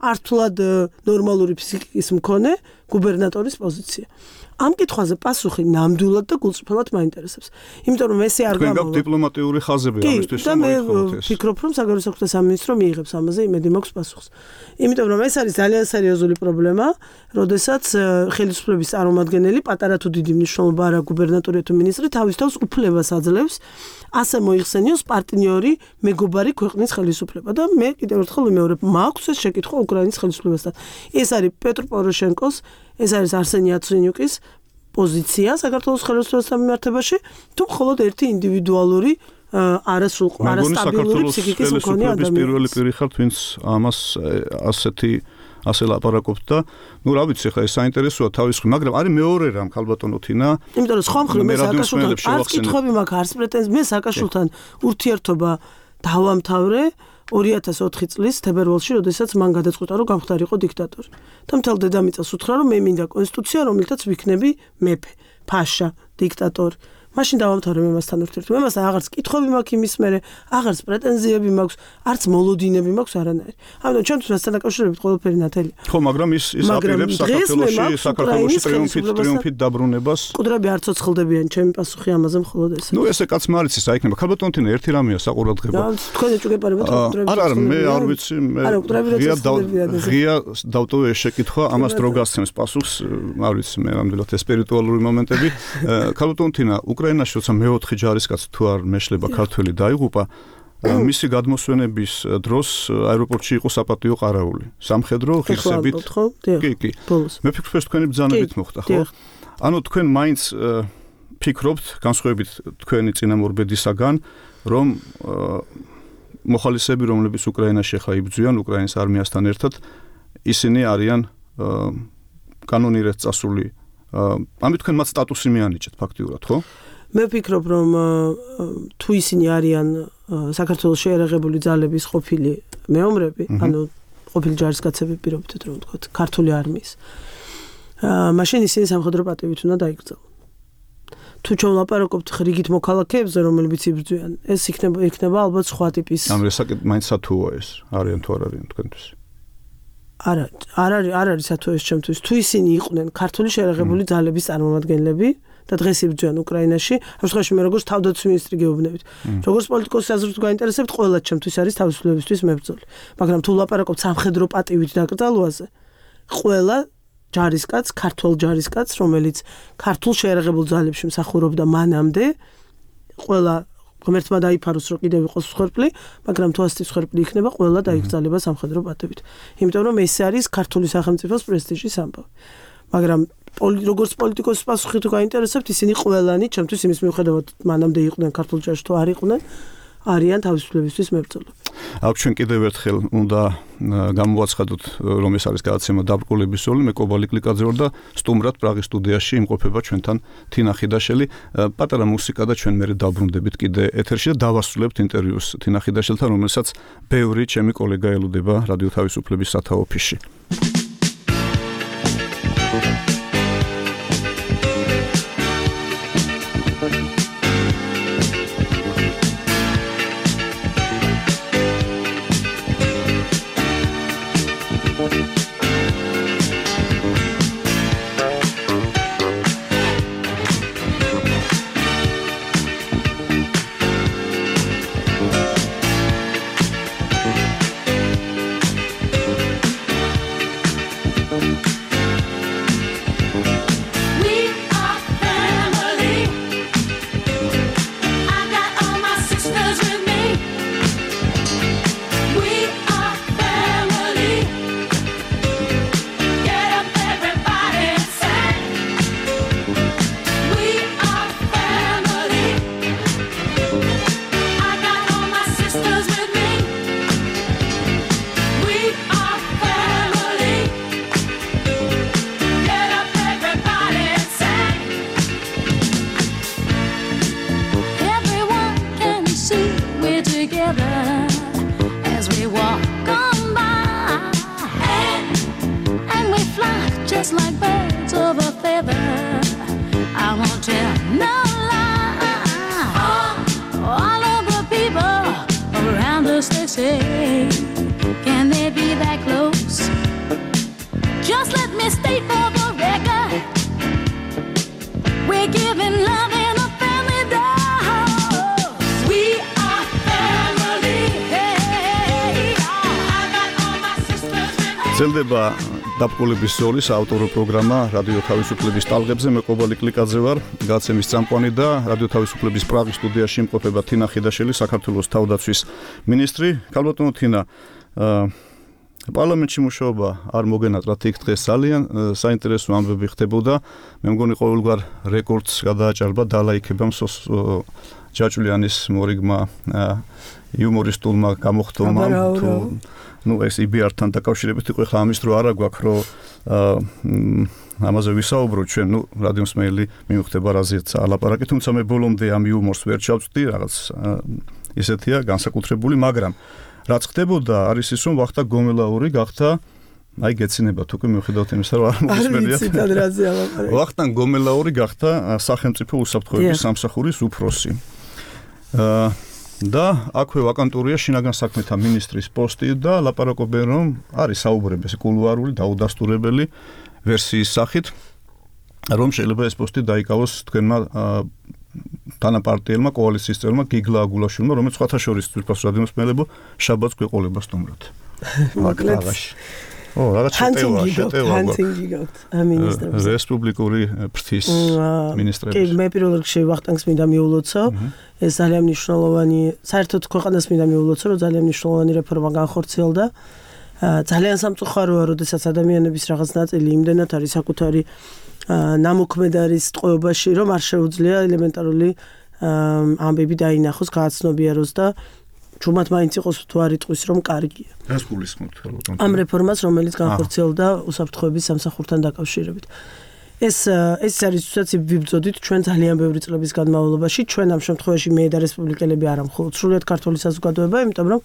ართულად ნორმალური ფსიქიკის მქონე გუბერნატორის პოზიცია. ამ კითხვაზე პასუხი ნამდვილად და გულწრფელად მაინტერესებს. იმიტომ რომ ესე არ გამოვა. თქვენ დიპლომატიური ხაზები ამისთვის და მე ვფიქრობ, რომ საგარეო საქმეთა სამინისტრო მიიღებს ამაზე იმედი მაქვს პასუხს. იმიტომ რომ ეს არის ძალიან სერიოზული პრობლემა, როდესაც ხელისუფლების წარმომადგენელი, პატარა თუ დიდი მნიშვნელობა არა გუბერნატორი თუ მინისტრი, თავის თავს უფლებას აძლევს ასე მოიხსენიოს პარტნიორი მეგობარი ქვეყნის ხელისუფლება და მე კიდევ ერთხელ ვიმეორებ, მაქვს ეს შეკითხვა უკრაინის ხელისუფლებასთან. ეს არის პეტრო პოროშენკოს, ეს არის არსენი იაცენიუკის პოზიცია საქართველოს ხელისუფლებასთან მიმართებაში, თუ მხოლოდ ერთი ინდივიდუალური არასტაბილური ფსიქიკის მქონე ადამიანი. პირველი პირი ხართ, ვინც ამას ასე ლაპარაკობთ და ნუ რა ვიცი, ხა ეს საინტერესოა თავისხრივ, მაგრამ არის მეორე რამ ქალბატონო თინა. იმიტომ რომ სხვა მხრივ მე სააკაშვილთან არც კითხვები მაქვს, არც პრეტენზიები, მე სააკაშვილთან ურთიერთობა დავამთავრე 2004 წლის თებერვალში, როდესაც მან გადაწყვიტა, რომ გამხდარიყო დიქტატორი. და მთელ დედამიწას უთხრა, რომ მე მინდა კონსტიტუცია, რომლითაც ვიქნები მეფე, ფაშა, დიქტატორი. მაშინ დავამთავრებ იმასთან ურთიერთობა. იმასთან აღარც კითხვები მაქვს იმის მერე, აღარც პრეტენზიები მაქვს, არც მოლოდინები მაქვს არანაირი. ამიტომ ჩვენთვის მასთან დაკავშირებით ყველაფერი ნათელია. ხო, მაგრამ ის აპირებს საქართველოში ტრიუმფით დაბრუნებას. მკვდრები არ ცოცხლდებიან, ჩემი პასუხი ამაზე მხოლოდ ეს. ნუ ესე კაც მარიცი საიქნება. ქალბატონ თინა ერთი რამეა საყურადღება. თქვენ ეჭვგეპარებათ მკვდრები. არა, მე არ ვიცი, მე ღია დავტოვე ეს შეკითხვა, ამას დრო გასცემს პასუხს, არ ვიცი, მე ნამდვილად ეს სპირიტუალური მომენტები. ქალბატონ თინა უკრაინაში როცა მეოთხე ჯარისკაცი თუ არ მეშლება ქართველი დაიღუპა, მისი გადმოსვენების დროს აეროპორტში იყო საპატიო ყარაული. სამხედრო ღირსებით. კი. მე ფიქრობ, თქვენი ბრძანებით მოხდა, ხო? ანუ თქვენ მაინც ფიქრობთ, განსხვავებით თქვენი წინამორბედისაგან, რომ მოხალისეები, რომლებიც უკრაინაში ახლა იბრძვიან უკრაინის არმიასთან ერთად, ისინი არიან კანონირად წასული. ამით თქვენ მათ სტატუსი მიანიჭეთ ფაქტიურად, ხო? მე ვფიქრობ, რომ თუ ისინი არიან საქართველოს შეერაღებული ძალების ყოფილი მეომრები, ანუ ყოფილი ჯარისკაცები პირობითად რომ ვთქვათ, ქართული არმიის. მაშინ ისინი სამხედრო პატივით უნდა დაიკრძალონ. თუ ჩვენ ვლაპარაკობთ რიგით მოქალაქეებზე, რომლებიც იბრძვიან, ეს იქნება ალბათ სხვა ტიპის. ანუ მაინც სათუოა ეს, არიან თუ არ არიან თქვენთვის? არ არის სათუო ეს ჩემთვის. თუ ისინი იყვნენ ქართული შეერაღებული ძალების წარმომადგენლები და დღეს იბრძვიან უკრაინაში, ამ შემთხვევაში მე როგორც თავდაცვის მინისტრი გეუბნებით. როგორც პოლიტიკოსის აზრით გაინტერესებთ, ყველა ჩემთვის არის თავისუფლებისთვის მებრძოლი. მაგრამ თუ ვლაპარაკობთ სამხედრო პატივით დაკრძალვაზე, ყველა ჯარისკაც, ქართულ ჯარისკაც, რომელიც ქართულ შეერაღებულ ძალებში მსახურობდა მანამდე, ყველა ღმერთმა დაიფაროს, რომ კიდევ იყოს მსხვერპლი, მაგრამ თუ ასეთი მსხვერპლი იქნება, ყველა დაიკრძალება სამხედრო პატივით. იმიტომ რომ ეს არის ქართული სახელმწიფოს პრესტიჟის ამბავი. მაგრამ როგორც პოლიტიკოსის პასუხი თუ გაინტერესებთ, ისინი ყველანი, ჩემთვის იმის მიუხედავად, მანამდე იყვნენ ქართულ ჯარში თუ არ იყვნენ, არიან თავისუფლებისთვის მებრძოლები. აქ ჩვენ კიდევ ერთხელ უნდა გამოვაცხადოთ, რომ ეს არის გადაცემა დაბრკოლების სული, მე კობალი კლიკაძე ვარ და სტუმრად პრაღის სტუდიაში იმყოფება ჩვენთან თინა ხიდაშელი. პატარა მუსიკა და ჩვენ მერე დავბრუნდებით კიდე ეთერში და დავასრულებთ ინტერვიუს თინა ხიდაშელთან, რომელსაც ბევრი ჩემი კოლეგა ელოდება რადიო თავისუფლების სათავო ოფისში. ძლდება დაბრკოლების სოლის ავტორო პროგრამა რადიო თავისუფლების ტალღებზე. მე კობალი კლიკაძე ვარ, გაცემის წამყვანი და რადიო თავისუფლების პრაღის სტუდიაში იმყოფება თინა ხიდაშელი, საქართველოს თავდაცვის მინისტრი. ქალბატონო თინა, პარლამენტში მუშაობა არ მოგენატრათ იქ დღეს ძალიან საინტერესო ამბები ხდებოდა. მე მგონი ყოველგვარ რეკორდს გადააჭარბა დალაიქება ჯაჭვლიანის მორიგმა იუმორისტულმა გამოხდომამ თუ ეს იბიართან დაკავშირებით იყო ხა ამის დრო არა გვაქვს რომ ამაზე ვისაუბროთ ჩვენ რადიო მსმენელი მიუხვდება რაზეც ალაპარაკი თუმცა მე ბოლომდე ამ იუმორს ვერ ჩავწვდი რაღაც ისეთია განსაკუთრებული მაგრამ რაც ხდებოდა არის ის რომ ვახტანგ გომელაური გახდა აი გეცინება თუკი მიუხედავად იმისა, რომ არ მოგისმენია. ვახტანგ გომელაური გახდა სახელმწიფო უსაფრთხოების სამსახურის უფროსი. და აქვე ვაკანტურია შინაგან საქმეთა მინისტრის პოსტი და ლაპარაკობენ რომ არის საუბრები კულუარული დაუდასტურებელი ვერსიის სახით რომ შეიძლება ეს პოსტი დაიკავოს თქვენმა თანაპარტიელმა კოალიციის წევრმა გიგლა აგულაშვილმა რომელიც სხვათა შორის თვითონ რადიომსმელებო შაბათს გვეყოლება სტუმრად. მოკლედ რაღაც შეტევა მინისტრებს რესპუბლიკური ფრთის მინისტრებს. კი, მე პირველ რიგში ვახტანგს მინდა მიულოცო. ეს ძალიან მნიშვნელოვანი, საერთოდ ქვეყანას მინდა მიულოცო, რომ ძალიან მნიშვნელოვანი რეფორმა განხორციელდა. ძალიან სამწუხაროა, როდესაც ადამიანების რაღაც ნაწილი იმდენად არის საკუთარი ნამოქმედარის ტყვეობაში, რომ არ შეუძლია ელემენტარული ამბები დაინახოს, გააცნობიეროს და ჩუმად მაინც იყოს თუ არ იტყვის რომ კარგია. რას გულისხმობთ ალბათ? ამ რეფორმას, რომელიც განხორციელდა უსაფრთხოების სამსახურთან დაკავშირებით. ეს არის თუნდაც ვიბრძოდით ჩვენ ძალიან ბევრი წლების განმავლობაში, ჩვენ ამ შემთხვევაში მე და რესპუბლიკელები არა მხოლოდ სრულიად ქართული საზოგადოება, იმიტომ რომ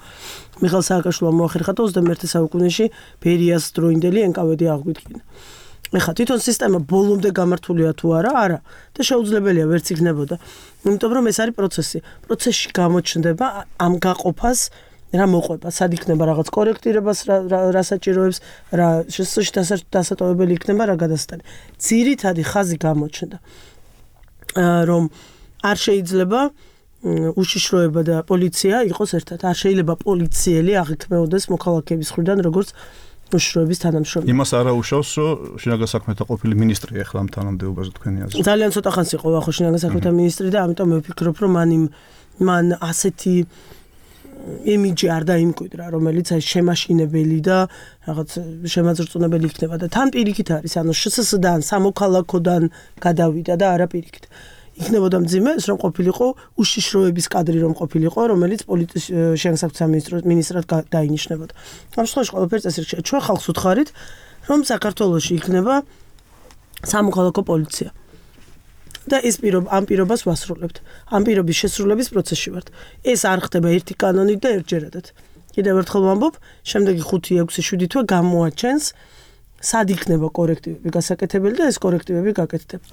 მიხეილ სააკაშვილმა მოახერხა 21 საუკუნეში ბერიას დროინდელი NKVD აღვიდგინა. ეხლა თვითონ სისტემა ბოლომდე გამართულია თუ არა და შეუძლებელია ვერც იქნებოდა. იმიტომ რომ ეს არის პროცესი. პროცესში გამოჩნდება ამ გაყოფას რა მოყვება, სად იქნება რაღაც კორექტირებას, რა საჭიროებს, რა დასატოვებელი იქნება, რა გადასტანი. ძირითადი ხაზი გამოჩნდა, რომ არ შეიძლება უშიშროება და პოლიცია იყოს ერთად. არ შეიძლება პოლიციელი აღიქმეოდეს მოქალაქეების მხრიდან, როგორც უშიშროების თანამშრომელი. იმას არ აუშავს, რომ შინაგან საქმეთა ყოფილი მინისტრი ახლა ამ თანამდებობაზე თქვენი აზრით. ძალიან ცოტა ხანს იყო ახლა შინაგან საქმეთა მინისტრი და ამიტომ მე ვფიქრობ, რომ მან ასეთი იმიჯი არ დაიმკვიდრა, რომელიც აი შემაშინებელი და რაღაც შემაძრწუნებელი იქნება და თან პირიქით არის, ანუ შსს-დან, სამოქალაქოდან გადავიდა და არა პირიქით. იქნებოდა მძიმე ეს რომ ყოფილიყო უშიშროების კადრი რომ ყოფილიყო, რომელიც შინაგან საქმეთა მინისტრად დაინიშნებოდა. ამ შემთხვევაში ყველაფერი წესრიგია. ჩვენ ხალხს ვუთხარით, რომ საქართველოში იქნება სამოქალაქო პოლიცია. და ამ პირობას ვასრულებთ. ამ პირობის შესრულების პროცესში ვართ. ეს არ ხდება ერთი კანონით და ერთჯერადად. კიდევ ერთხელ ვამბობ, შემდეგი 5, 6, 7 თვე გამოაჩენს სად იქნება კორექტივები გასაკეთებელი და ეს კორექტივები გაკეთდება.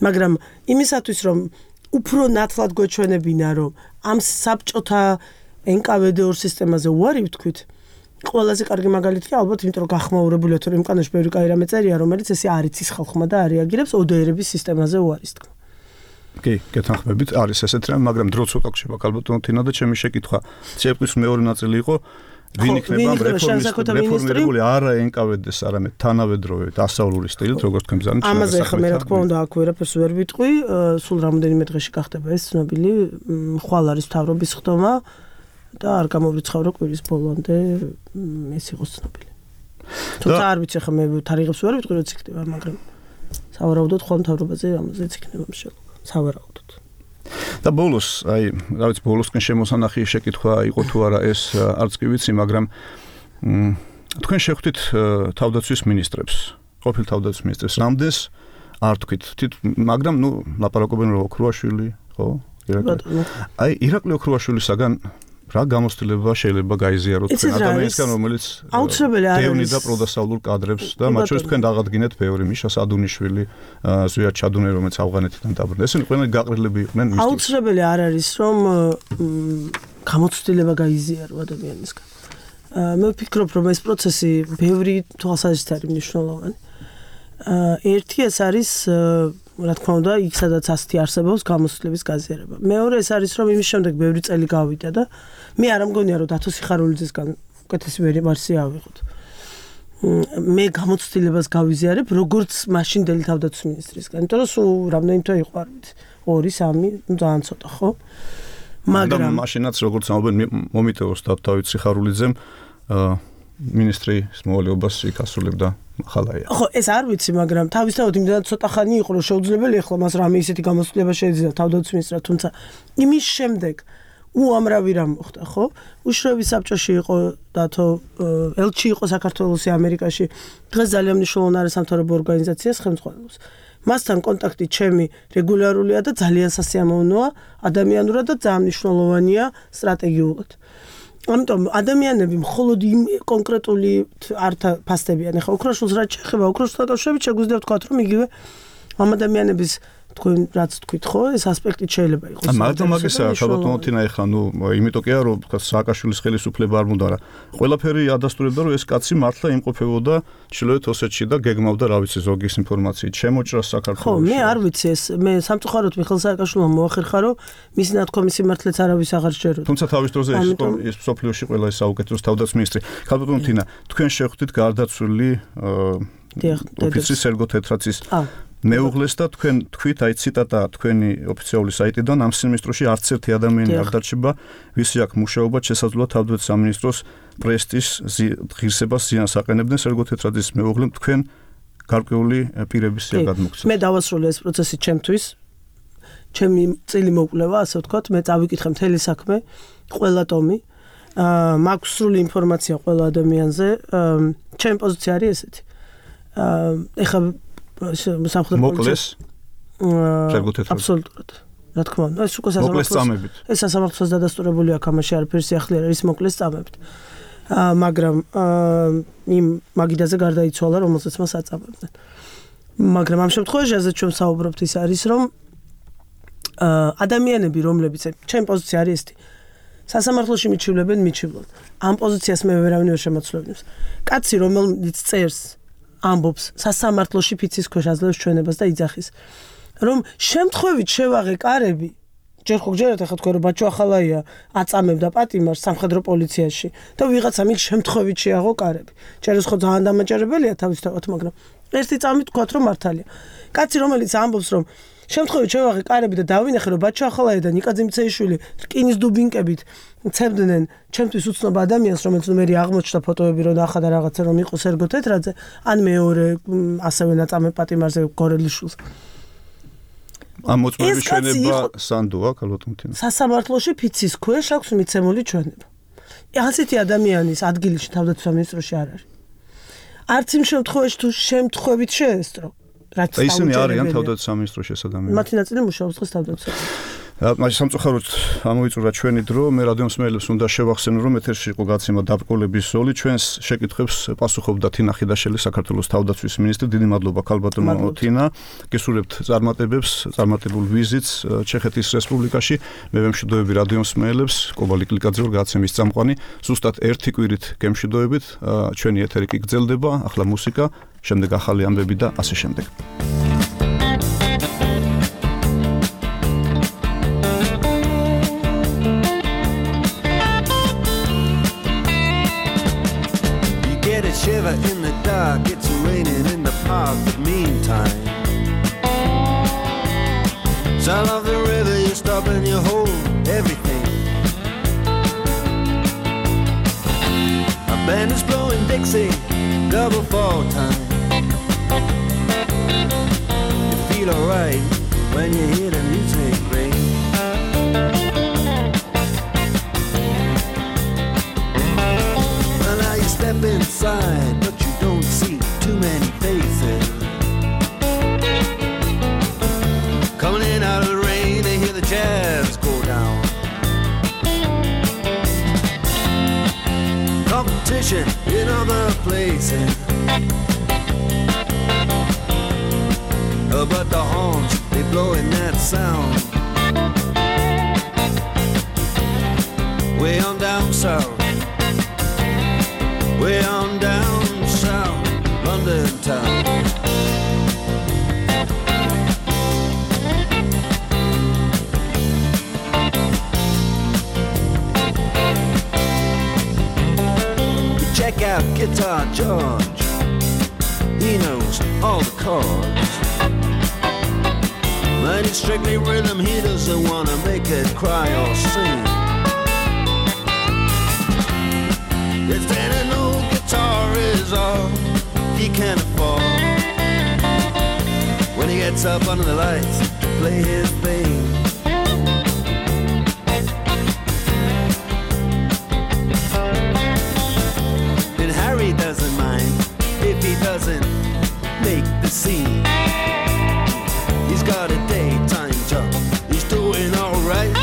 მაგრამ იმისათვის რომ უფრო ნათლად გვეჩვენებინა რომ ამ საბჭოთა NKVD-ორ სისტემაზე უარი ვთქვით, ყველაზე კარგი მაგალითია ალბათ იმიტომ რომ გახმაურებულია თუ იმ კანონში ბევრი კაი რამე წერია, რომელიც ესე არ იცის ხალხმა და არ რეაგირებს ODR-ების სისტემაზე უარის თქმა. კი, გეთანხმებით, არის ესეთი რამე, მაგრამ დრო ცოტა გშება ალბათ თინა და ჩემი შეკითხვა. ცეკვის მეორე ნაწილი იყო ვინ იქნება რეფორმირებული არა NKVD-ს, არამედ თანავედროვე დასავლური სტილით, როგორც თქვენ ბრძანეთ. ამაზე ხა მე რა თქმა უნდა აქ ვერაფერს ვერ ვიტყვი, სულ რამოდენიმე დღეში გახდება ეს ცნობილი ხვალ არის მთავრობის ხდომა და არ გამოვრიცხავ რომ კვირის ბოლომდე ეს იყოს ცნობილი. თუმცა არ ვიცი ხა მე თარიღებს ვერ ვიტყვი როც იქნება, მაგრამ სავარაუდოდ ხვალ მთავრობაზე ამაზეც იქნება მშენებლობა. სავარაუდოდ. და ბოლოს, აი, რა ვიცი, ბოლოსკენ შემოსანახი შეკითხვა იყო თუ არა ეს არც კი ვიცი, მაგრამ თქვენ შეხვდით თავდაცვის მინისტრებს, ყოფილ თავდაცვის მინისტრებს, რამდენს არ თქვით, მაგრამ ნუ ლაპარაკობენ რომ ოქრუაშვილი, ხო? აი, ირაკლი ოქრუაშვილისაგან რა გამოცდილება შეიძლება გაიზიაროთ ადამიანისგან, რომელიც აუცილებელი არის დევნიდა და პროდასავლურ კადრებს და მათ შორის თქვენ დაღადგინეთ ბევრი მიშა სადუნიშვილი, ზვიად ჩადუნე, რომელიც ავღანეთიდან დაბრუნდა. ესენი ყველანი გაყრილები იყვნენ მისთვის. აუცილებელი არ არის, რომ გამოცდილება გაიზიარო ადამიანისგან. მე ვფიქრობ, რომ ეს პროცესი ბევრი თვალსაზრისით არის მნიშვნელოვანი. ერთი ეს არის რა თქმა უნდა, იქ სადაც ასეთი არსებობს გამოცდილების გაზიარება. მეორე ეს არის, რომ იმის შემდეგ ბევრი წელი გავიდა და მე არ მგონია, რომ დათო სიხარულიძესგან უკეთესი ვერსია ავიღოთ. მე გამოცდილებას გავიზიარებ, როგორც მაშინდელი თავდაცვის მინისტრისგან. იმიტომ რომ სულ რამდენი თვე იყო, არ ვიცი, 2-3, ძალიან ცოტა, ხო? მაგრამ მაშინაც როგორც ამბობენ, მომიტევოს დავით სიხარულიძემ მინისტრის მოვალეობას იქ ასრულებდა ხალაია. ხო, ეს არ ვიცი, მაგრამ თავისთავად იმდენად ცოტა ხანი იყო, რომ შეუძლებელი ახლა მას რამე ისეთი გამოცდილება შეეძინა თავდაცვის მინისტრად, თუმცა იმის შემდეგ უამრავი რამ მოხდა, ხო? უშიშროების საბჭოში იყო დათო ელჩი იყო საქართველოსი ამერიკაში. დღეს ძალიან მნიშვნელოვანი არის სამთავრობო ორგანიზაციას ხელმძღვანელობს. მასთან კონტაქტი ჩემი რეგულარულია და ძალიან სასიამოვნოა, ადამიანურად და ძალიან მნიშვნელოვანია სტრატეგიულად. ამიტომ ადამიანები მხოლოდ იმ კონკრეტული არ ფასდებიან. ეხლა უკრაინულს რაც შეეხება უკრაინულთან დაკავშირებით შეგვიძლია ვთქვათ, რომ იგივე ამ ადამიანების თქვენ რაც თქვით ხო, ეს ასპექტი შეიძლება იყოს. მაგრამ მაგისა ქალბატონო თინა ეხლა იმიტომ კი არა რომ თქვა სააკაშვილის ხელისუფლება არ მუნდა რა. ყველაფერი ადასტურებდა რომ ეს კაცი მართლა იმყოფებოდა ჩრდილოეთ ოსეთში და გეგმავდა რა ვიცი ზოგის ინფორმაციით შემოჭრა საქართველოში. ხო, მე არ ვიცი ეს მე სამწუხაროდ მიხეილ სააკაშვილმა მოახერხა რომ მისი ნათქვამი სიმართლეც არავის აღარ შეეროდა. თუმცა თავის დროზე ის სოფლიოში ყველა ეს საუკეთესო თავდაცვის მინისტრი. ქალბატონო თინა, თქვენ შეხვდით გარდაცვლილი ოფიცრის სერგო თეთრაძის მეუღლეს და თქვენ თქვით აი ციტატა თქვენი ოფიციალური საიტიდან ამ სამინისტროში არც ერთი ადამიანი არ დარჩება ვისი აქ მუშაობა შესაძლოა თავდაცვის სამინისტროს პრესტიჟს ღირსებას ზიანს აყენებდნენ სერგო თეთრაძის მეუღლემ თქვენ გარკვეული პირების გადმოგცეთ. მე დავასრულე ეს პროცესი ჩემთვის ჩემი წილი მოკვლევა ასე ვთქვათ მე წავიკითხე მთელი საქმე ყველა ტომი მაქვს სრული ინფორმაცია ყველა ადამიანზე ჩემი პოზიცია არის ესეთი ეხლა მოკლეს აბსოლუტურად რა თქმა უნდა ეს უკვე სასამართლოს დადასტურებული აქვს ამაში არაფერი სიახლე არ არის მოკლეს წამებით მაგრამ იმ მაგიდაზე გარდაიცვალა რომელსაც მას აწამებდნენ მაგრამ ამ შემთხვევაში ასეთ ჩვენ საუბრობთ ის არის რომ ადამიანები რომლებიც ჩემი პოზიცია არის ესეთი სასამართლოში მიჩივლებენ მიჩივლონ ამ პოზიციას მე ვერავინ ვერ შემოწმებს კაცი რომელიც წერს ამბობს სასამართლოში ფიცის ქვეშ აძლევს ჩვენებას და იძახის რომ შემთხვევით შევაღე კარები ჯერ ხო გჯერათ ახლა თქვენ რომ ბაჩო ახალაია აწამებდა პატიმარს სამხედრო პოლიციაში და ვიღაცამ იქ შემთხვევით შეაღო კარები ჭერეს ხო ძალიან დამაჯერებელია თავისთავად მაგრამ ერთი წამით თქვათ რომ მართალია კაცი რომელიც ამბობს რომ შემთხვევით შევაღე კარები და დავინახე რომ ბაჩო ახალაია და ნიკაძე მცეიშვილი რკინის დუბინკებით ცემდნენ ჩემთვის უცნობ ადამიანს რომელიც მე აღმოჩნდა ფოტოები რომ ახლა რაღაცა რომ იყო სერგო თეთრაძე ან მეორე ასევე ნაწამე პატიმარზე გორელიშვილს ამ მოწმობის ჩვენება სანდოა ქალბატონო თინა სასამართლოში ფიცის ქვეშ აქვს მიცემული ჩვენება ასეთი ადამიანის ადგილში თავდაცვის სამინისტროში არ არის არც იმ შემთხვევაში თუ შემთხვევით შეესწრო რაც ისინი არიან თავდაცვის სამინისტროში ეს ადამიანები მათი ნაწილი მუშაობს დღეს თავდაცვის მაშინ სამწუხაროდ ამოვიწურა ჩვენი დრო მე რადიომსმენელებს უნდა შევახსენო რომ ეთერში იყო გაცემა დაბრკოლების ზოლი ჩვენს შეკითხვებს პასუხობდა თინა ხიდაშელი საქართველოს თავდაცვის მინისტრი დიდი მადლობა ქალბატონო თინა გესურვებთ წარმატებულ ვიზიტს ჩეხეთის რესპუბლიკაში მე ვემშვიდობები რადიომსმენელებს კობალი კლიკაძე ვარ გაცემის წამყვანი ზუსტად ერთი კვირით გემშვიდობებით ჩვენი ეთერი კი გრძელდება ახლა მუსიკა შემდეგ ახალი ამბები და ასე შემდეგ Shiver in the dark, it's raining in the park, but meantime sound of the river, you stop and you hold everything. A band is blowing Dixie, double fall time. You feel alright when you hear the music ring. Step inside, but you don't see too many faces. Coming in out of the rain, they hear the jazz go down. Competition in other places, but the horns, they blowing that sound. Way on down south. Way on down south, London town. You check out Guitar George, he knows all the chords. But it's strictly rhythm, he doesn't want to make it cry or sing. If any old guitar is all he can afford, when he gets up under the lights to play his thing, then Harry doesn't mind if he doesn't make the scene. He's got a daytime job, he's doing alright.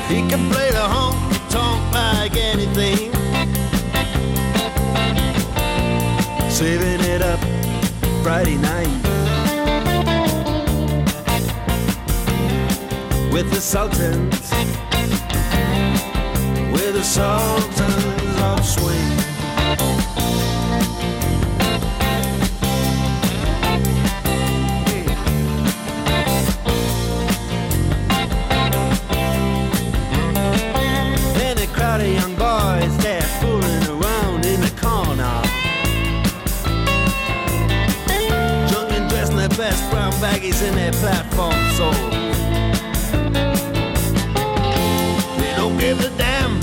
He can play the honky-tonk like anything, saving it up Friday night with the Sultans, with the Sultans of swing. And a crowd of young boys, they're fooling around in the corner, drunk and dressed in their best brown baggies in their platform soles. Give a damn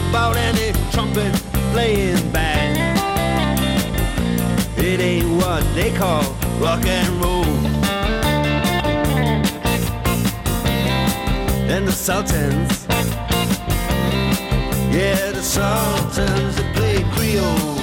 about any trumpet playing band. It ain't what they call rock and roll. And the Sultans, yeah, the Sultans, they play Creole.